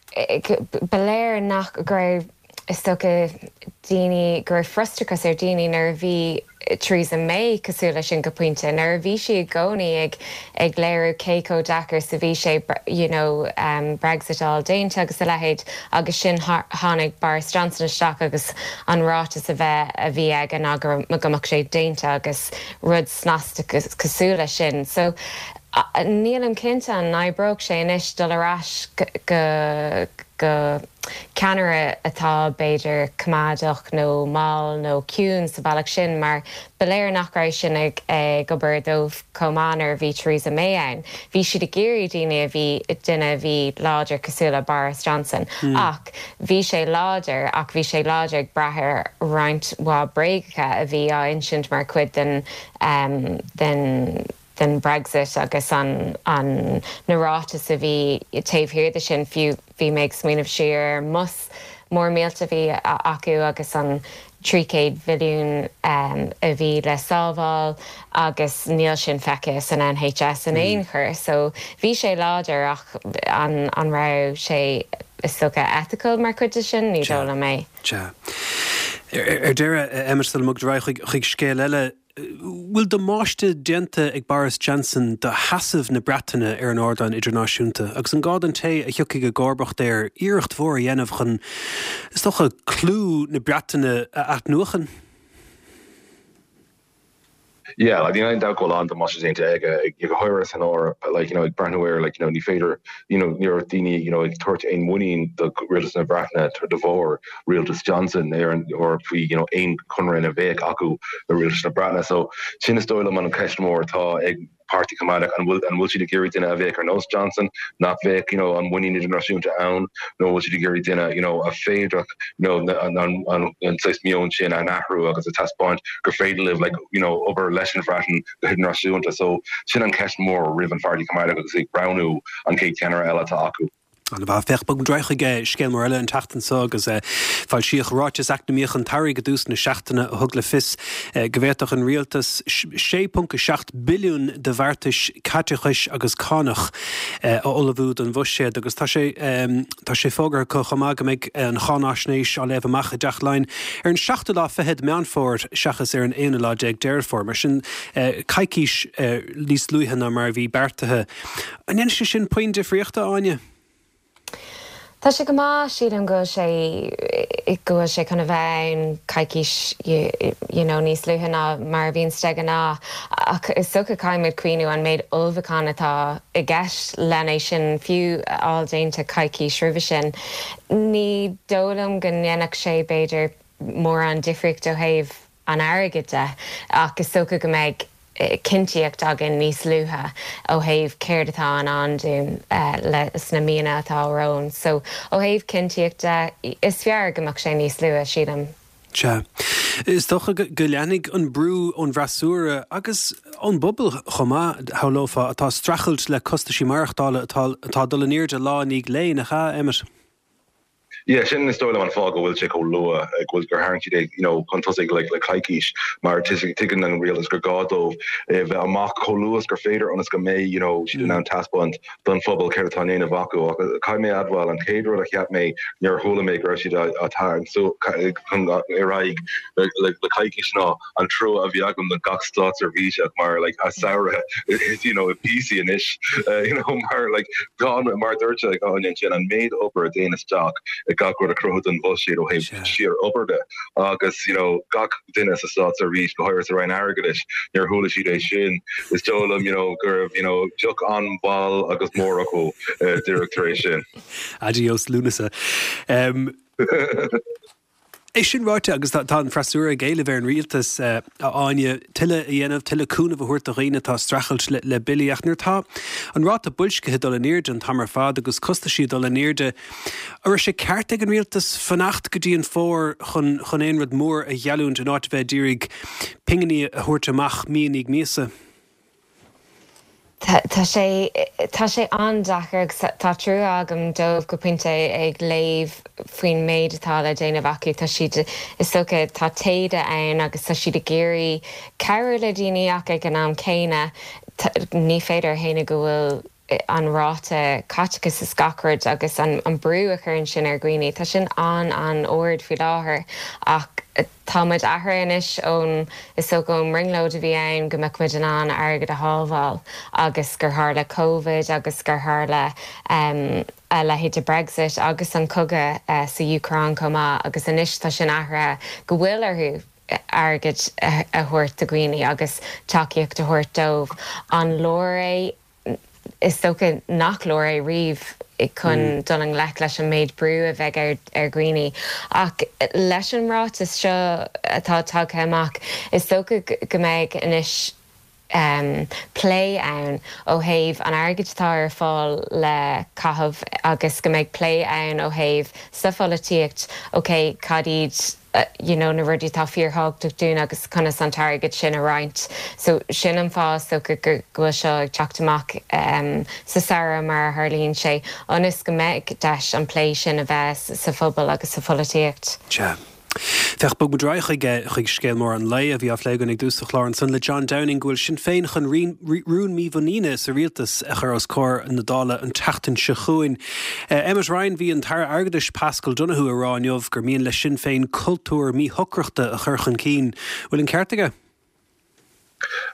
[SPEAKER 5] ba léir nach go raibh. Is dócha daoine, go raibh frustrachas ar daoine nuair a bhí Theresa May cosúil leis sin go pointe, nuair a bhí sí i gcónaí ag ag léiriú cé chomh deacair is a bhí sé you know Brexit a fháil déanta agus a leithéid agus sin tháinig Boris Johnson isteach agus an ráiteas a bheith a bhí aige ná go go mbeadh sé déanta agus rud snasta cosúil leis sin. So nílim cinnte an n-oibreodh sé anois dul ar ais go go ceannaire atá, b'fhéidir, coimeádach nó mall nó ciúin sa bhealach sin mar ba léir nach raibh sin ag obair dóibh chomh maith nuair a bhí Theresa May ann. Bhí siad ag iarraidh daoine a bhí, duine a bhí láidir cosúil le Boris Johnson ach bhí sé láidir ach bhí sé láidir ag brath ar roinnt mhaith bréagacha a bhí á insint mar chuid den, den. den Brexit agus an an na ráitis a bhí taobh thiar de sin fiú bhí mé ag smaoineamh siar ar an mbus mór millteach a bhí acu agus an 300 mhilliún a bhí le sábháil agus níl sin feicthe san NHS in aon chor so bhí sé láidir ach an an raibh sé is dócha ethical mar chuid de sin? Ní dóigh liom é.
[SPEAKER 1] Sea. Ar deireadh, Emmet, sula mbogfaimid ar aghaidh chuig scéal eile, bhfuil damáiste déanta ag Boris Johnson do sheasamh na Breataine ar an ardán idirnáisiúnta agus an gá don té a thiocfaidh i gcomharbacht air iarracht mhór a dhéanamh chun, is dócha, clú na Breataine a athnuachan?
[SPEAKER 6] Yeah, like, níl aon dabht go bhfuil an-damáiste déanta aige, go háirithe san Eoraip, like, you know, ag breathnú air, like, you know, ní féidir, you know, ní raibh daoine, you know, ag tabhairt aon mhuinín do rialtas na Breataine de bharr rialtas Johnson ar an Eoraip faoi you know aon chonradh a bheadh acu le rialtas na Breataine. So sin is dóigh liom an cheist mhór atá ag Páirtí Coimeádach, an bhfuil an bhfuil siad ag iarraidh duine a bheadh ar nós Johnson, nach bheadh you know an muinín idirnáisiúnta ann, nó an bhfuil siad ag iarraidh duine you know a féadfadh you know an an an an saghas meon sin a athrú agus a taispeáint gur féidir libh like you know obair leis an Bhreatain go hidirnáisiúnta. So sin an cheist mhór roimh an Pháirtí Coimeádach agus ag roghnú an chéad cheannaire eile atá acu.
[SPEAKER 1] An-mhaith. Féach, bogfaimid ar aghaidh chuig scéal mór eile an tseachtain seo agus foilsíodh ráiteas eacnamaíoch an tsamhraidh i dtús na seachtaine a thug le fios go bhféadfadh an rialtas 6.7 billiún de bheartais caiteachais agus cánach a ullmhú don bhuiséad agus tá sé tá sé fógartha acu chomh maith go mbeidh an cháinaisnéis á léamh amach i dTeach Laighean ar an seachtú lá fichead Meán Fómhair seachas ar an aonú lá déag Deireadh Fómhair. Mar sin coicís níos luaithe ná mar a bhí beartaithe. An ndéanfaidh sé sin puinn difríochta, a Áine?
[SPEAKER 5] Tá sé go maith, sílim go bhfuil sé, go bhfuil sé chun a bheith ann coicís you know níos luaithe ná mar a bhíonns de ghnáth ach is dócha caithfidh muid cuimhniú an méid ullmhúchán atá i gceist len é sin fiú a fháil déanta coicís roimhe sin. Ní dóigh liom go ndéanfadh sé b'fhéidir mórán difríocht ó thaobh an airgid de, ach is dócha go mbeidh cinntíocht againn níos luaithe ó thaobh céard atá i ndán dúinn le sna míonna atá romhainn. So, ó thaobh cinntíocht de, is fearr go mbeadh sé níos luaithe, sílim.
[SPEAKER 1] Sea. Is dócha go leanfaidh an brú ón bhfreasúra agus ón bpobal chomh maith, shamhlófá, atá ag streachailt le costaisí maireachtála atá ag dul in airde lá i ndiaidh lae, nach ea, Emmet?
[SPEAKER 6] Yeah, sin is dóigh liom an fáth go bhfuil sé chomh luath, go bhfuil gur tharraing siad é, you know, chun tosaigh le le coicís, mar tuigeann an rialtas gur gá dóibh é bheith amach chomh luath is gur féidir ionas go mbeidh, you know, siad in ann taispeáint don phobal céard atá á ndéanamh acu. Ach caithfidh mé a admháil, an chéad rud a cheap mé nuair a chuala mé go raibh siad á tarraingt chun ar aghaidh le le coicís ná an trua a bhí agam do gach státseirbhíseach mar like a samhradh is you know i bpíosaí anois you know mar like tá mar dúirt like Áine ansin an méid obair a théann isteach i gach rud a chruthú don bhuiséad ó thaobh síor obair de agus you know gach duine sa státseirbhís go háirithe sa Roinn Airgeadais nuair a chuala siad é sin is dóigh liom you know go raibh you know deoch an-mhall agus mór acu díreach tar éis sin.
[SPEAKER 1] Adios Lúnasa. Um, É sin ráite, agus tá an freasúra ag éileamh ar an rialtas, a Áine, tuilleadh a dhéanamh, tuilleadh cúnaimh a thabhairt do dhaoine atá ag streachailt le billí, ach nuair atá an ráta boilscithe ag dul in airde an t-am ar fad agus costaisí ag dul in airde, an raibh sé ceart ag an rialtas fanacht go dtí an fómhar chun chun aon rud mór a gheallúint in áit a bheith ag iarraidh pinginí a thabhairt amach mí i ndiaidh míosa?
[SPEAKER 5] Tá sé, tá sé an-deacair agus tá trua agam dóibh go pointe ag léamh faoin méid atá le déanamh acu. Tá siad, is dócha, tá taoide ann agus tá siad ag iarraidh cabhrú le daoine ach ag an am céanna ní féidir a shéanadh go bhfuil. an ráta caiteachais is gach rud agus an brú a chuireann sin ar dhaoine, tá sin an-an-ard faoi láthair ach tá muid athraithe anois ón, is dócha ón mbrionglóid a bhí ann go mbeadh muid in ann airgead a shábháil agus gur tharla Covid agus gur tharla a leithéid de Brexit agus an cogadh sa Úcráin chomh maith agus anois tá sin athraithe go bhfuil orthu airgead a thabhairt do dhaoine agus tacaíocht a thabhairt dóibh. An leor é? Is dócha nach leor é riamh chun dul i ngleic leis an méid brú a bheidh ar dhaoine. Ach leis an ráiteas seo atá tagtha amach, is dócha go mbeidh anois plé ann ó thaobh an airgid atá ar fáil le caitheamh agus go mbeidh plé ann ó thaobh sa pholaitíocht, ok, cad iad you know na rudaí atá fíorthábhachtach dúinn agus conas an t-airgead sin a roinnt. So sin an fáth is dócha go bhfuil seo ag teacht amach sa samhradh mar a tharlaíonn sé, ionas go mbeidh deis an plé sin a bheith sa phobal agus sa pholaitíocht.
[SPEAKER 1] Sea. Féach, bog muid ar aghaidh chuig, chuig scéal mór an lae a bhí á phlé againn ag dtús an chláir ansan le John Downing go bhfuil Sinn Féin chun rún mímhuiníne sa rialtas a chur os comhair na Dála an tseachtain seo chugainn. Emmet Ryan, bhí an tAire Airgeadais Paschal Donohoe ag rá inniu gur mian le Sinn Féin cultúr míshocrachta a chur chun cinn. Bhfuil an ceart aige?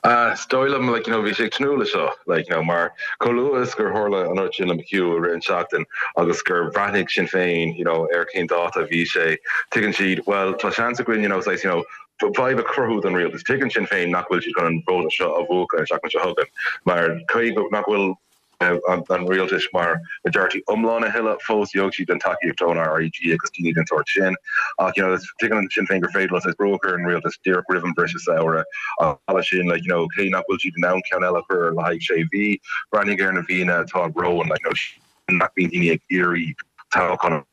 [SPEAKER 6] Is dóigh liom, like, you know, bhí sé ag tnúth leis seo, like, you know, mar chomh luath is gur tharla an rud sin le McHugh i rith an tseachtain agus gur bhreathnaigh Sinn Féin, you know, ar cén dáta a bhí sé, tuigeann siad, well, tá seans againn, you know, saghas, you know, fadhb a chruthú don rialtas. Tuigeann Sinn Féin nach bhfuil siad chun an vóta seo a bhuachan an tseachtain seo chugainn mar cé nach bhfuil an rialtais mar majority iomlán a thuilleadh. Fós gheobhaidh siad an tacaíocht ón RIG agus daoine den sórt sin. Ach you know tuigeann Sinn Féin gur féidir leo saghas brú a chur ar an rialtas díreach roimh an bhriseadh samhraidh. Ach leis sin like you know cé nach bhfuil siad in ann ceann eile a chur le haghaidh sé mhí, breathnaigh ar na mhíonna atá romhainn like you know nach mbíonn daoine ag iarraidh toghchán a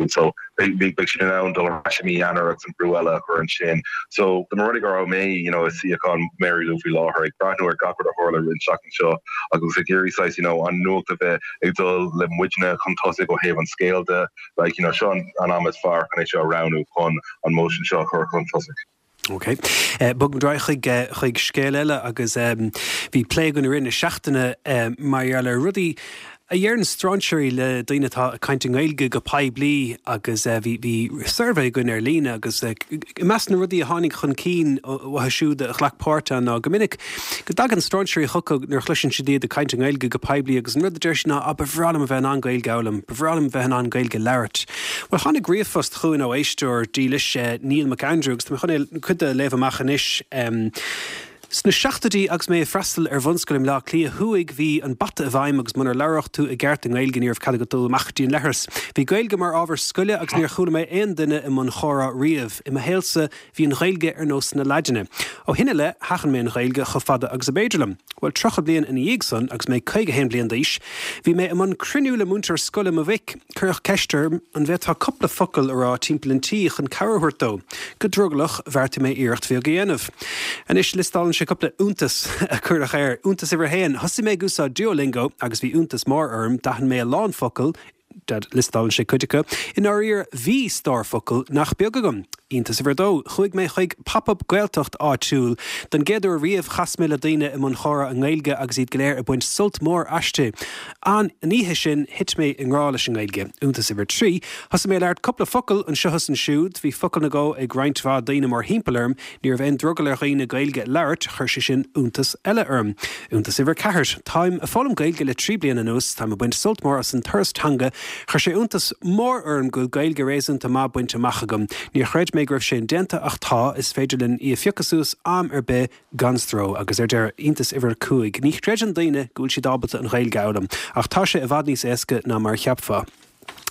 [SPEAKER 6] So beidh siad in ann dul ar ais i mí Eanáir agus an brú eile a chur ansin. So dá mba rud é go raibh mé you know i suíochán Mary Lou faoi láthair ag breathnú ar gach rud a tharla i rith an tseachtain seo agus ag iarraidh saghas you know an nuacht a bheith ag dul le muidne chun tosaigh ó thaobh an scéil de like you know seo an am is fearr chun é seo a roghnú chun an motion seo a chur chun tosaigh.
[SPEAKER 1] Ok. Bog muid ar aghaidh chuig, chuig scéal eile agus bhí plé againn i rith na seachtaine mar gheall ar rudaí a dheireann strainséirí le daoine atá ag caint i nGaeilge go poiblí agus bhí, bhí suirbhé againn ar líne agus i measc na rudaí a tháinig chun cinn uathu siúd a ghlac páirt ann ná go minic go dtagann strainséirí chucu nuair a chloiseann siad iad ag caint i nGaeilge go poiblí agus an rud a deir siad ná 'Á, ba bhreá liom a bheith in ann Gaeilge a fhoghlaim, ba bhreá liom a bheith in ann Gaeilge a labhairt'. Bhuel, tháinig ríomhphost chugainn ó éisteoir dílis, Neil McAndrew, agus tá mé chun é, cuid de a léamh amach anois. Sna seachtóidí agus mé ag freastal ar bhunscoil i mBleá Cliath Thuaidh, bhí an bata i bhfeidhm agus munar labhair tú i gceart i nGaeilge ní raibh cead agat dul amach go dtí an leithreas. Bhí Gaeilge mar ábhar scoile agus níor chuala mé aon duine i mbun chomhrá riamh. I mo shaolsa, Bhí an Ghaeilge ar nós na Laidine. Ó shin i leith, sheachain mé an Ghaeilge chomh fada agus ab fhéidir liom. Bhuel, 30 bliain ina dhiaidh san, agus mé 51 bliain d'aois, bhí mé i mbun cruinniú le múinteoir scoile mo mhic. Cuireadh ceist orm an bhféadfá cúpla focal a rá timpeall an tí chun cabhair a thabhairt dó. Go drogallach, bheartaigh mé iarracht bheag a dhéanamh. Anois, liostálann sé cúpla iontas a cuireadh air. Iontas uimhir a haon, thosaigh mé ag úsáid Duolingo agus bhí iontas mór orm, d'aithin mé a lán focal, Liostálann sé cuid acu. I ndáiríre, bhí stór focal nach beag agam. Iontas uimhir a dó, chuaigh mé chuig Pop-Up Gaeltacht áitiúil. Don gcéad uair riamh, chas mé le daoine i mbun chomhrá i nGaeilge agus iad go léir ag baint sult mór aisti. An oíche sin, thit mé i ngrá leis an nGaeilge. Iontas uimhir trí, thosaigh mé ag labhairt cúpla focal anseo is ansiúd. Bhí focal nó dhó ag roinnt mhaith daoine mórthimpeall orm. Ní raibh aon drogall ar dhaoine Gaeilge a labhairt, chuir sé sin iontas eile orm. Iontas uimhir 4. Táim ag foghlaim Gaeilge le 3 bliana anuas, táim ag baint sult mór as an turas teanga, chuir sé iontas mór orm go bhfuil Gaeilge réasúnta maith bainte amach agam. Níor chreid mé go raibh sé indéanta ach tá, is féidir linn í a phiocadh suas am ar bith gan stró. Agus ar deireadh, iontas uimhir 5. Ní chreideann daoine go bhfuil siad ábalta an Ghaeilge a fhoghlaim, ach tá sé i bhfad níos éasca ná mar a cheapfá.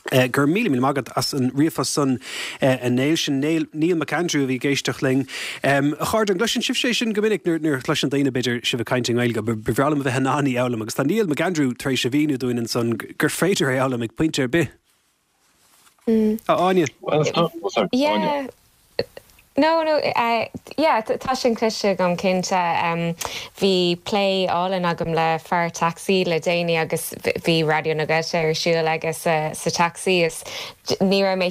[SPEAKER 1] Go raibh míle míle maith agat as an ríomhphost san, a Néill. Sin Neil, Neil McAndrew a bhí ag éisteacht linn. A chairde, an gcloiseann sibhse é sin go minic nuair a chloiseann daoine, b'fhéidir, sibh ag caint i nGaeilge? Ba bhreá liom a bheith in ann í a fhoghlaim agus tá Neil McAndrew tar éis a mhíniú dúinn ansan gur féidir é a fhoghlaim ag pointe ar bith. A Áine?
[SPEAKER 6] Well, sorry, Áine.
[SPEAKER 5] Yeah. No, no, yeah, tá sin cloiste agam cinnte. Bhí plé álainn agam le fear tacsaí le déanaí agus bhí Raidió na Gaeltachta ar siúl aige sa tacsaí is ní raibh mé,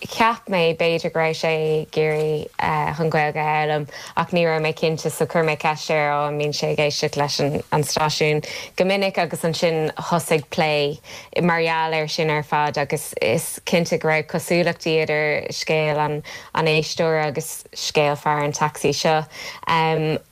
[SPEAKER 5] cheap mé b'fhéidir go raibh sé ag iarraidh an Ghaeilge a fhoghlaim ach ní raibh mé cinnte so chuir mé ceist air ó an mbíonn sé ag éisteacht leis an stáisiún go minic agus ansin thosaigh plé mar gheall air sin ar fad agus is cinnte go raibh cosúlachtaí idir scéal an éisteora agus scéal fear an tacsaí seo.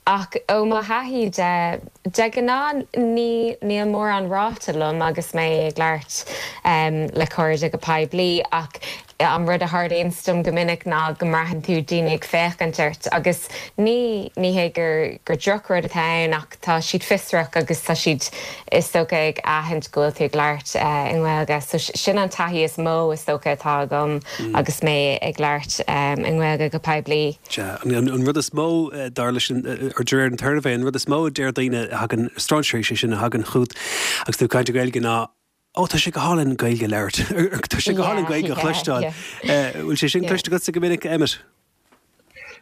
[SPEAKER 5] Ach ó mo thaithí de, de ghnáth ní níl mórán ráite liom agus mé ag labhairt le cairde go poiblí ach an rud a tharlaíonns dom go minic ná go mbraitheann tú daoine ag féachaint ort agus ní ní hé gur gur drochrud atá ann ach tá siad fiosrach agus tá siad is dócha ag aithint go bhfuil tú ag labhairt i nGaeilge. So sin an taithí is mó is dócha atá agam agus mé ag labhairt i nGaeilge go poiblí.
[SPEAKER 1] Sea, an rud is mó, dar leis an, or de réir an tsuirbhé, an rud is mó a deir daoine a thagann, strainséirí sé sin, a thagann chugat agus tú ag caint i nGaeilge ná, Ó, tá sé go hálainn Gaeilge a labhairt. Tá sé go hálainn Gaeilge a chloisteáil. Bhfuil sé sin cloiste agatsa go minic, Emmet?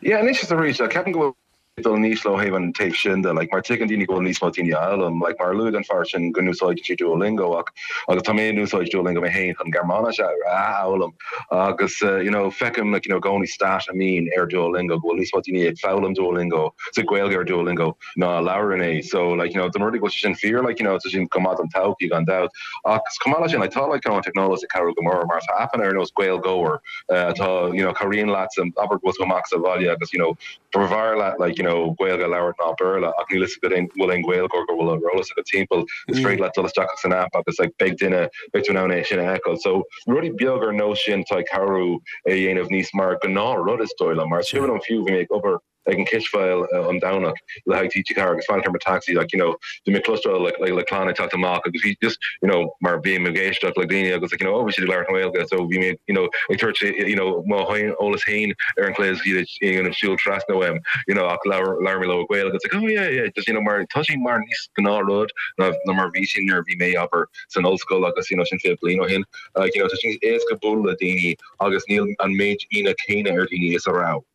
[SPEAKER 6] Yeah, anois is arís, ceapaim go bhfuil ag dul níos ó thaobh an taobh sin de, like, mar tuigeann daoine go bhfuil níos mó daoine á fhoghlaim, like, mar a luaigh an fear sin go n-úsáideann sé Duolingo ach, agus tá mé in úsáid Duolingo mé féin chun Gearmáinis a fhoghlaim agus, you know, feicim, like, you know, i gcónaí stat a mbíonn ar Duolingo go bhfuil níos mó daoine ag foghlaim Duolingo, sa Ghaeilge ar Duolingo ná a labhrann é, so, like, you know, dá mba rud é go bhfuil sé sin fíor, like, you know, tá sin go maith don todhchaí gan dabht. Ach chomh maith leis sin, like, tá, like, you know, an teicneolaíocht ag cabhrú go mór mar tá aipeanna ar nós Gaeilgeoir atá, you know, cabhraíonn leat, abair go bhfuil tú amach sa bhaile agus, you know, B'fhearr leat like you know Gaeilge a labhairt ná Béarla ach níl fhios agat an bhfuil aon Ghaeilgeoir go bhfuil ar eolas agat timpeall, is féidir leat dul isteach san app agus like beidh duine, beidh tú in ann é sin a fheiceáil. So rudaí beag ar nós sin atá ag cabhrú é a dhéanamh níos mar gnáth rud is dóigh liom. Mar is cuimhin liom fiú bhí mé ag obair ag an cispheil an Domhnach le haghaidh TG4 agus fanacht ar mo taxi like you know bhí mé ag cloisteáil like like le clann ag teacht amach agus bhí just you know mar bhí mé ag éisteacht le daoine agus like you know oh bhí siad ag labhairt Gaeilge so bhí mé you know ag tabhairt you know mo eolas féin ar an chlaí iad you know siúl trasna uaim you know ach labhair labhair mé leo i Gaeilge it's like oh yeah yeah just you know mar tá sé mar níos gnáthrud ná ná mar bhí sin nuair a bhí mé abair san ollscoil agus you know sin 20 bliain ó shin like you know tá sé níos éasca bualadh le daoine agus níl an méid ionadh céanna ar daoine is a raibh.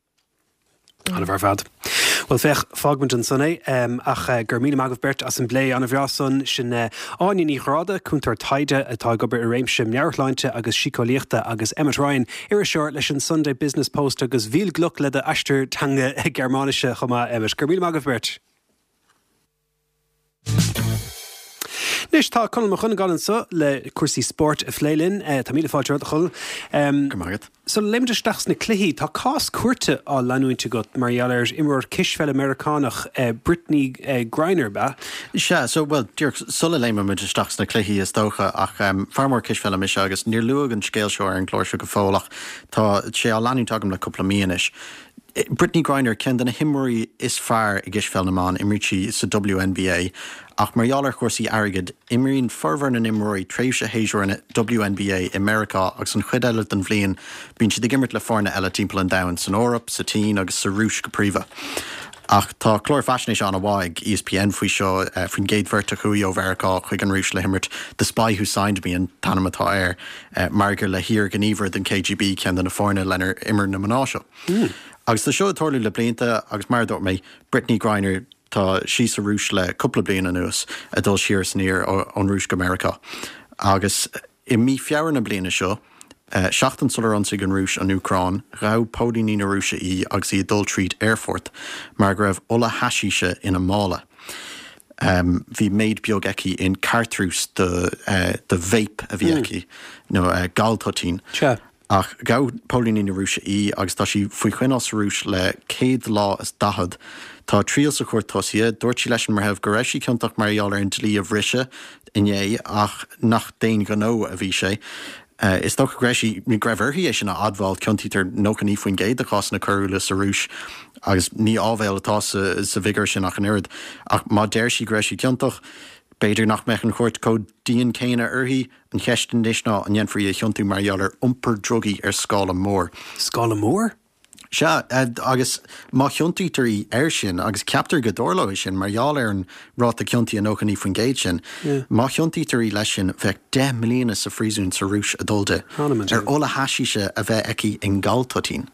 [SPEAKER 1] An-mhaith ar fad. Bhuel, féach, fágfaimid ansan é, ach go raibh míle maith agaibh beirt as an bplé an-bhreá san. Sin Áine Ní Ghráda, cúntóir taighde atá ag obair i réimse meabhairshláinte agus síceolaíochta agus Emmet Ryan, iriseoir leis an Sunday Business Post agus viel Glück le d'aistear teanga Gearmáinise chomh maith, Emmet. Go raibh míle maith agaibh beirt. Anois tá Conall Mac Dhonnagáin anseo le cúrsaí spóirt a phlé linn. Tá míle fáilte romhat, a Chonaill.
[SPEAKER 7] Go raibh maith agat.
[SPEAKER 1] Sula léimimid isteach sna cluichí, tá cás cúirte á leanúint agat mar gheall ar imreoir cispheile Meiriceánach, Brittney Griner, ab
[SPEAKER 7] ea? Sea, so, bhuel, díreach sula léimimid isteach sna cluichí is dócha, ach fear mór cispheile mise agus níor luadh an scéal seo ar an gclár seo go fóill ach tá sé á leanúint agam le cúpla mí anois. Brittney Griner, ceann de na himreoirí is fearr i gcispheil na mban, imríonn sí sa WNBA, ach mar gheall ar chúrsaí airgid, imríonn formhór na n-imreoirí tréimhse shéasúir an WNBA i Meiriceá agus an chuid eile den bhliain bíonn siad ag imirt le foirne eile timpeall an domhain, san Eoraip, sa tSín agus sa Rúis go príomha. Ach tá clár faisnéise an-mhaith ag ESPN faoi seo, faoin gcéad bheirt a chuaigh ó Mheiriceá chuig an Rúis le himirt, The Spy Who Signed Me an t-ainm atá air. Mar gur le hiarghníomhaire den KGB, ceann de na foirne lenar imir na mná seo. Agus tá seo ag tarlú le blianta agus mar a dúirt mé, Brittney Griner, tá sí sa Rúis le cúpla bliain anuas, ag dul siar is aniar ón Rúis go Meiriceá. Agus i mí Feabhra na bliana seo, seachtain sular ionsaigh an Rúis an Úcráin, ghabh póilíní na Rúise í agus í ag dul tríd aerfort mar go raibh ola haisíse ina mála. Bhí méid beag aici in cartrús de de vape a bhí aici, nó galtoitín. Ach ghabh póilíní na Rúise í agus tá sí faoi choinneáil sa Rúis le 100 lá is 40. Tá a triail sa chúirt tosaithe. Dúirt sí leis an mbreitheamh go raibh sí ciontach mar gheall ar an dlí a bhriseadh inné ach nach d'aon ghnó a bhí sé. Is dócha go raibh sí, go raibh uirthi é sin a admháil, ciontaítear 99% de chásanna coiriúla sa Rúis agus ní áibhéil atá sa bhfigiúr sin ach an oiread. Ach má deir sí go raibh sí ciontach, b'fhéidir nach mbeadh an chúirt chomh dian céanna uirthi. An cheist anois ná an ndéanfar í a chiontú mar gheall ar iompar drugaí ar scála mór.
[SPEAKER 1] Scála mór?
[SPEAKER 7] Sea, agus má chiontaítear í air sin, agus ceaptar go dtarlóidh sin mar gheall ar an ráta ciontaithe 99% sin, má chiontaítear í leis sin, bheadh 10 mbliana sa phríosún sa Rúis ag dul di, ar ola haisíse a bheith aici i ngaltoitín.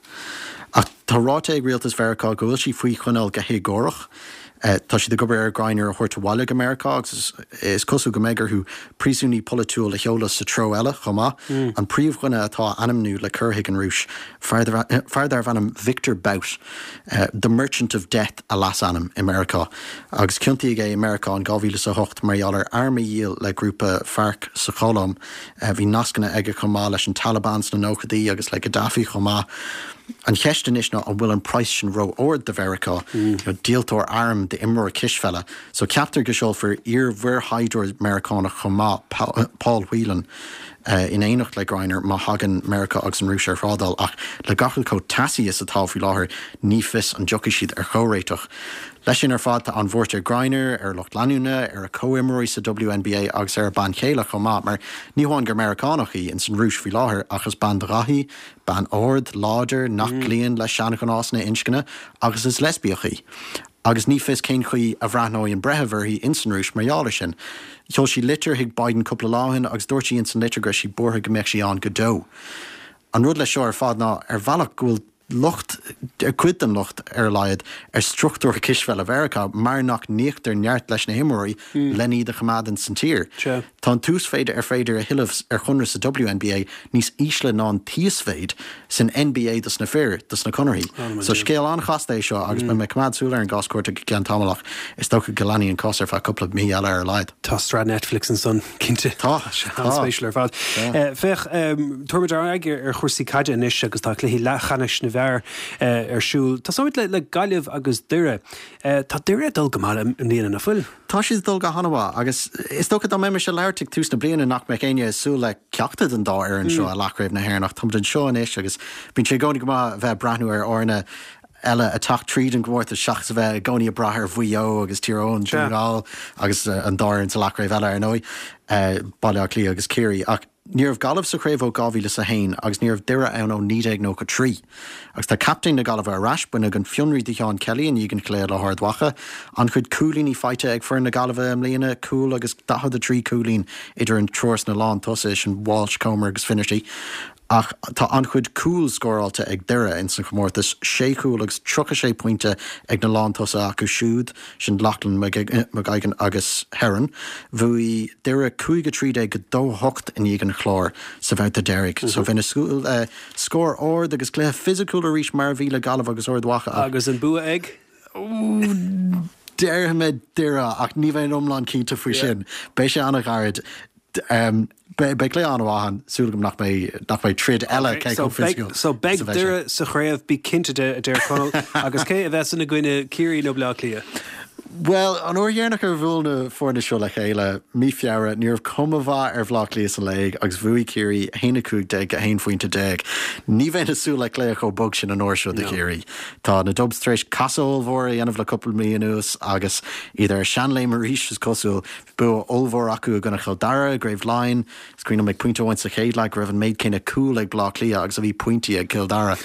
[SPEAKER 7] Ach. Tá ráite ag rialtas Mheiriceá go bhfuil sí faoi choinneáil go héagórach. Tá siad ag obair ar Griner a thabhairt abhaile go Meiriceá agus is cosúil go mbeidh orthu príosúnaí polaitiúil a sheoladh sa treo eile chomh maith. An príomhdhuine atá á ainmniú le cur chuig an Rúis, fear darbh ainm Victor Bout, 'The Merchant of Death' a leasainm i Meiriceá, agus ciontaíodh é i Meiriceá in 2008 mar gheall ar airm a dhíol le grúpa FARC sa Cholóim. Bhí nascanna aige chomh maith leis an Taliban sna nóchaidí agus le Gaddafi chomh maith. An cheist anois ná an bhfuil an praghas sin ró-ard do Mheiriceá, díoltóir arm d'imreoir cispheile. So ceaptar go seolfar iar-mhuirshaighdiúir Meiriceánach chomh maith, Paul Whelan, in éineacht le Griner má thagann Meiriceá agus an Rúis ar thrádáil ach le gach rud chomh teasaí is atá faoi láthair ní fios an dtiocfaidh siad ar chomhréiteach. Leis sin ar fad, tá an-bhuairt ar Griner, ar a lucht leanúna, ar a comhimreoirí sa WNBA agus ar a bean chéile chomh maith, mar ní hamháin gur Meiriceánach í, ins an Rúis faoi láthair, ach is bean de dhath í, bean ard, láidir, nach gcloíonn le seanghnásanna inscne, agus is leispiach í. Agus ní fios cén chaoi a bhreathnóidh an breitheamh uirthi ins an Rúis mar gheall air sin. Sheol sí litir chuig Biden cúpla lá ó shin agus dúirt sí ins an litir go raibh sí buartha go mbeadh sí ann go deo. An rud leis seo ar fad ná, ar bhealach, go bhfuil locht, cuid den locht ar a laghad, ar struchtúr cispheile Mheiriceá mar nach n-íoctar neart leis na himreoirí len iad a choimeád ins an tír. Tá an t-uasmhéid ar féidir a thuilleamh ar chonradh sa WNBA níos ísle ná an t-íosmhéid san NBA dos na fir, dos na conarthaí. So scéal an-chasta é seo agus beidh mé ag coimeád súil ar an gcás cúirte go ceann tamaill ach is dócha go leanfaidh an cás ar feadh cúpla mí eile ar a laghad.
[SPEAKER 1] Tá sraith Netflix ansan, cinnte.
[SPEAKER 7] Tá.
[SPEAKER 1] An-spéisiúil ar fad. Féach, tabharfaimid ár n-aghaidh ar chúrsaí caide anois agus tá cluichí leathcheannais na bhfear ar siúl. Tosóimid le Gaillimh agus Doire. Tá Doire ag dul go maith i mbliana, nach bhfuil?
[SPEAKER 7] Tá siad ag dul go han-mhaith agus is dócha dá mbeimis ag labhairt ag tús na bliana nach mbeadh éinne ag súil le ceachtar den dá fhoireann seo i leathchraobh na hÉireann ach táimid anseo anois agus bíonn sé i gcónaí go maith a bheith ag breathnú ar fhoirne eile ag teacht tríd an gcomórtas seachas a bheith i gcónaí ag brath ar Mhaigh Eo agus Tír Eoghain, Dún na nGall agus an dá fhoireann sa leathchraobh eile ar ndóigh, Baile Átha Cliath agus Ciarraí. Ach ní raibh Gaillimh sa chraobh ó 2001 agus ní raibh Doire ann ó 1993. Agus tá captaen na Gaillimhe ar ais, baineadh an fionraí de Sheán Kelly i ndiaidh an chluiche le hArd Mhacha. An-chuid cúilíní faighte ag foireann na Gaillimhe i mbliana, cúl agus 43 cúilín idir an triúr sna lántosaithe, sin Walsh, Comer agus Finnerty. Ach tá an-chuid cúl scóráilte ag Doire ins an chomórtas, sé chúl agus 36 pointe ag na lántosaithe acu siúd, sin Lochlann McGeoghegan agus Herron. Bhuaigh Doire 5 13 go 2 8 in aghaidh an Chláir sa bhabhta deiridh. So bheinn ag súil le scór ard agus cluiche fisiciúil arís mar a bhí le Gaillimh agus Ard Mhacha
[SPEAKER 1] ach. Agus an bua ag?
[SPEAKER 7] Déarfaidh mé Doire ach ní bheinn iomlán cinnte faoi sin. Beidh sé an-ghairid. Beidh cluiche an-mhaith ann, súil agam nach mbeidh nach mbeidh troid eile cé chomh
[SPEAKER 1] fisiciúil So beidh Doire sa chraobh, bí cinnte de, a deir Conall. Agus cé a bheas ina gcoinne, Ciarraí nó Baile Átha Cliath?
[SPEAKER 7] Bhuel, an uair dheireanach ar bhuail na foirne seo le chéile, mí Feabhra, ní raibh cuma mhaith ar Bhaile Átha Cliath sa léig agus bhuaigh Ciarraí 1-15 go 1 phointe. Ní bheinn ag súil le cluiche chomh bog sin an uair seo do Chiarraí. Tá na Dubs tar éis casadh ollmhór a dhéanamh le cúpla mí anuas agus iad ar a seanléim arís, is cosúil. Bua ollmhór acu i gcoinne Chill Dara i gCraobh Laighean. Is cuimhin liom ag pointe amháin sa chéad leath go raibh an méid céanna cúl ag Bleá Cliath agus a bhí pointí ag Cill Dara.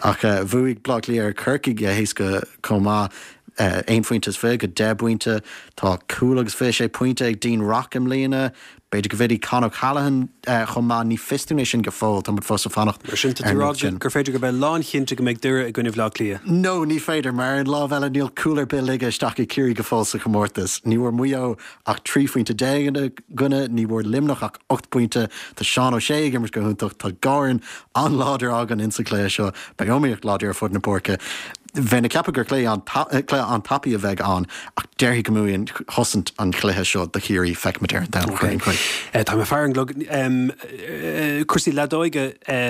[SPEAKER 7] Ach bhuaigh Bleá Cliath ar Chorcaigh go héasca chomh maith, aon phointe is 20 go 10 bpointe. Tá cúl agus 26 pointe ag Dean Rock i mbliana. B'fhéidir go bhfillfidh Con O'Callaghan chomh maith, ní fios dúinn é sin go fóill, tá muid fós ag fanacht
[SPEAKER 1] Mar sin, tá tú ag rá gur féidir go mbeidh lánchinnte go mbeidh Doire i gcoinne Bhaile Átha Cliath?
[SPEAKER 7] No, ní féidir, mar ar an lámh eile níl cúl ar bith ligthe isteach ag Ciarraí go fóill sa chomórtas. Ní bhfuair Maigh Eo ach 13 phointe ina gcoinne, ní bhfuair Luimneach ach 8 bpointe. Tá Seán O'Shea ag imirt go hiontach, tá dhá fhoireann an-láidir againn insa chluiche seo, beidh iomaíocht láidir ar fud na páirce. Bheinn ag ceapadh gur cluiche an-tapaidh a bheidh ann ach déarfainn go mbuafaidh an chosaint an cluiche seo do Chiarraí. Feicfimid ar an Domhnach ar aon chaoi.
[SPEAKER 1] Tá mé ag faire an gclog. Cúrsaí leadóige,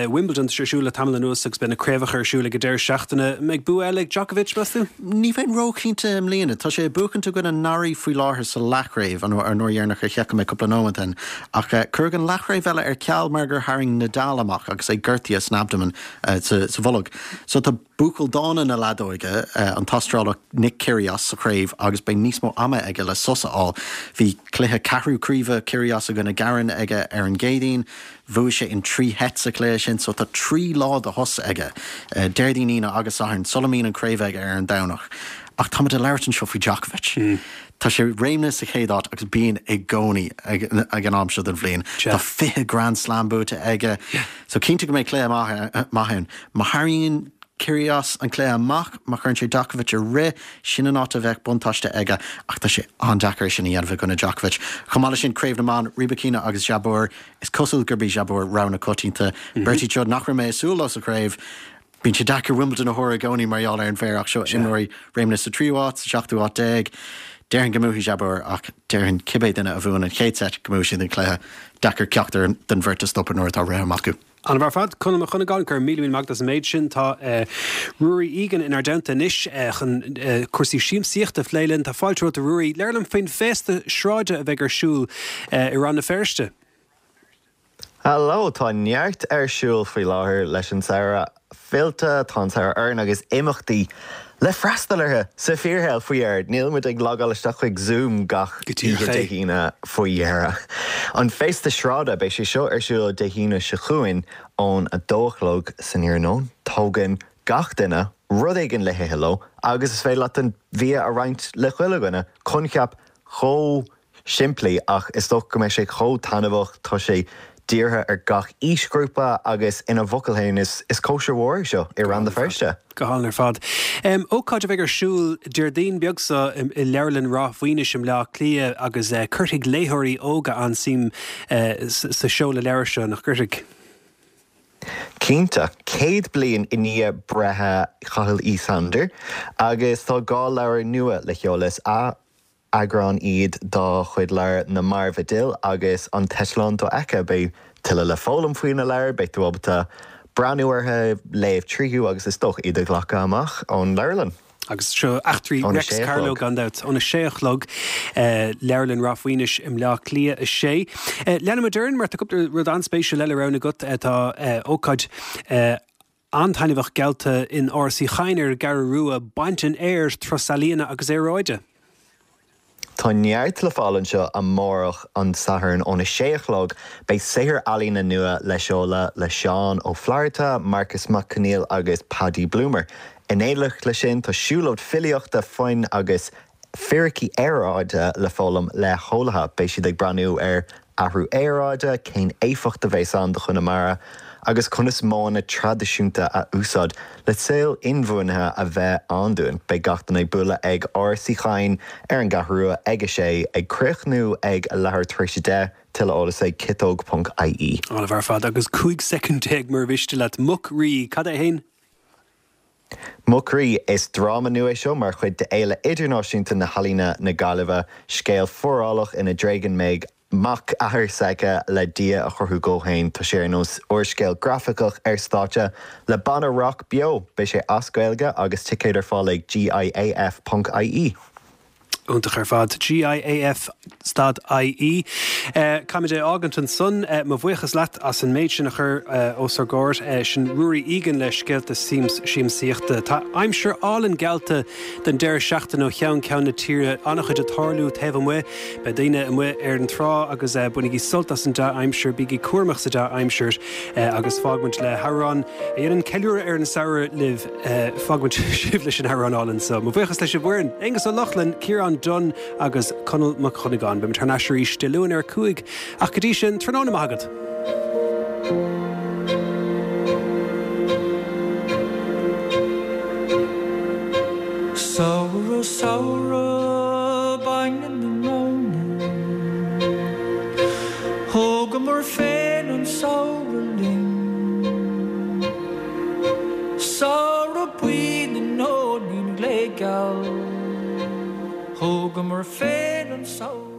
[SPEAKER 1] Wimbledon, tá sé ar siúl le tamall anuas agus beidh na craobhacha ar siúl ag an deireadh seachtaine. An mbeidh bua eile ag Djokovic, meas tú?
[SPEAKER 7] Ní bheinn róchinnte i mbliana. Tá sé ag buachaint i gcoinne Norrie faoi láthair sa leathchraobh, an uair dheireanach ar sheiceáil mé cúpla nóiméad ó shin. Ach cuireadh an leathchraobh eile ar ceal mar gur tharraing Nadal amach agus é gortaithe san abdomen, sa bholg. So tá. Buachaill dána na leadóige, an tAstrálach Nick Kyrgios sa chraobh agus beidh níos mó ama aige le sos a fháil. Bhí cluiche ceathrú craoibhe Kyrgios i gcoinne Garin aige ar an gCéadaoin. Bhuaigh sé in 3 sheit sa chluiche sin so tá 3 lá de shos aige, Déardaoin, Aoine agus Satharn, sula mbíonn an chraobh aige ar an Domhnach. Ach táimid ag labhairt anseo faoi Djokovic. Tá sé réimnithe sa chéad áit agus bíonn i gcónaí ag an am seo den bhliain. Tá 20 Grand Slam buaite aige. So cinnte go mbeidh cluiche maith ann. Má tharraingíonn. Kyrgios an cluiche amach, má chuireann sé Djokovic a rith, sin an áit a bheadh buntáiste aige ach tá sé an-deacair é sin a dhéanamh i gcoinne Djokovic. Chomh maith leis sin, Craobh na mBan, Rybakina agus Jabeur, is cosúil gurb í Jabeur rogha na coitianta. Beirt iad seo nach raibh mé ag súil leo sa chraobh. Bíonn sé deacair Wimbledon a thuar i gcónaí mar gheall ar an bhféar ach seo imreoirí réimnithe sa tríú háit, sa seachtú háit déag. Déarfainn go mbuafaidh Jabeur ach déarfainn cibé duine a bhuann an chéad seit go mbuafaidh siad an cluiche. Deacair ceachtar den bheirt a stopadh nuair atá rith amach acu.
[SPEAKER 1] An-mhaith ar fad. Conall Mac Dhonnagáin, go raibh míle míle maith agat as an méid sin. Tá Ruairí Egan inár dteannta anois chun cúrsaí siamsaíochta a phlé linn. Tá fáilte romhat a Ruairí. Labhair liom faoin bhféasta sráide a bheidh ar siúl i Rann na Feirste.
[SPEAKER 8] Hello, tá neart ar siúl faoi láthair leis an samhradh fillte, tá an samhradh orainn agus imeachtaí le freastal orthu sa fíorshaol faoi dheireadh. Níl muid ag logáil isteach chuig Zoom gach oíche Dé hAoine faoi dheireadh. An Féasta Sráide, beidh sé seo ar siúl Dé hAoine seo chugainn ón 2 a chlog san iarnóin. Tógann gach duine rud éigin le hithe leo agus is féidir leat an bia a roinnt le chuile dhuine. Coincheap chomh simplí ach is dócha go mbeidh sé chomh taitneamhach, tá sé dírithe ar gach aoisghrúpa agus ina bhfocail féin is is cóisir mhór é seo i Rann na Feirste.
[SPEAKER 1] Go hálainn ar fad. Ócáid a bheidh ar siúl Déardaoin beag seo i Leabharlann Ráth Mhaoinis i mBleá Cliath agus cuirfidh léitheoirí óga an-suim sa seoladh leabhar seo, nach gcuirfidh?
[SPEAKER 8] Cinnte. 100 bliain i ndiaidh breithe Chathail Uí Shándair agus tá 2 leabhar nua le sheoladh. Is Eagráin iad dá chuid leabhar Na Mairbh a D'Fhill agus An tEitleán Dofheicthe. Beidh tuilleadh le foghlaim faoi na leabhair, beidh tú ábalta breathnú orthu, léamh tríothu agus is dócha iad a ghlacadh amach ón leabharlann.
[SPEAKER 1] Agus seo eachtraí Reics Carló gan dabht. Óna sé a chlog, Leabharlann Ráth Mhaoinis i mBleá Cliath 6. Leanfaimid orainn mar tá cúpla rud an-spéisiúil eile roghnaithe agat. Tá ócáid an-taitneamhach geallta in Áras Uí Chadhain ar an gCeathrú Rua, Baint an Fhéir, Turas Ealaíona agus Aeráide.
[SPEAKER 8] Tá neart le fáil anseo amárach, an Satharn, óna sé a chlog. Beidh saothar ealaíne nua le seoladh le Seán Ó Flatharta, Marcus Mac Conghail agus Paddy Bloomer. In éineacht leis sin, tá siúlóid filíochta, foinn agus Fíricí aeráide le foghlaim le heolaithe. Beidh siad ag breathnú ar athrú aeráide, cén éifeacht a bheas ann do Chonamara agus conas modhanna traidisiúnta a úsáid le saol inbhuanaithe a bheith ann dúinn. Beidh gach duine ag bualadh ag Áras Uí Chadhain ar an gCeathrú Rua ag a sé, ag críochnú ag a leathuair tar éis a 10. Tuilleadh eolais ag ciotóg.ie.
[SPEAKER 1] An-mhaith ar fad. Agus 15 soicind mura mhiste leat. Muc Rí, cad é fhéin?
[SPEAKER 8] Muc Rí, Is dráma nua é seo mar chuid d'Fhéile Idirnáisiúnta na hEalaíne na Gaillimhe. Scéal forálach ina dtréigeann Meig mac athar s'aige le Dia a chruthú dhó féin. Tá sé ar nós úrscéal grafaiceach ar stáitse le banna rock beo. Beidh sé as Gaeilge agus ticéid ar fáil ag GIAF ponc IE.
[SPEAKER 1] Iontach ar fad. GIAF stad IE. Caithfimid é a fhágaint ansan. Mo bhuíochas leat as an méid sin a chur os ár gcomhair. Sin Ruairí Egan le scéalta siamsaíochta. Tá aimsir álainn geallta don deireadh seachtaine ó cheann ceann na tíre. An-chuid ag tarlú taobh amuigh. Beidh daoine amuigh ar an trá agus bainigí sult as an dea-aimsir. Bígí cúramach sa dea-aimsir agus fágfaimid le hamhrán a dhéanann ceiliúradh ar an samhradh libh. Fágfaimid sibh leis an amhrán álainn so. Mo bhuíochas leis an bhfoireann, Aonghus Ó Lochlainn, Ciarán Dunne agus Conall Mac Dhonnagáin. Beimid thar n-ais arís Dé Luain ar a 5, ach go dtí sin, tráthnóna maith agat.
[SPEAKER 9] Samhradh, samhradh, bainne na móna. Thógamar féin an samhradh linn. Samhradh buí na nóinín gléigeal, thógamar féin an samhradh.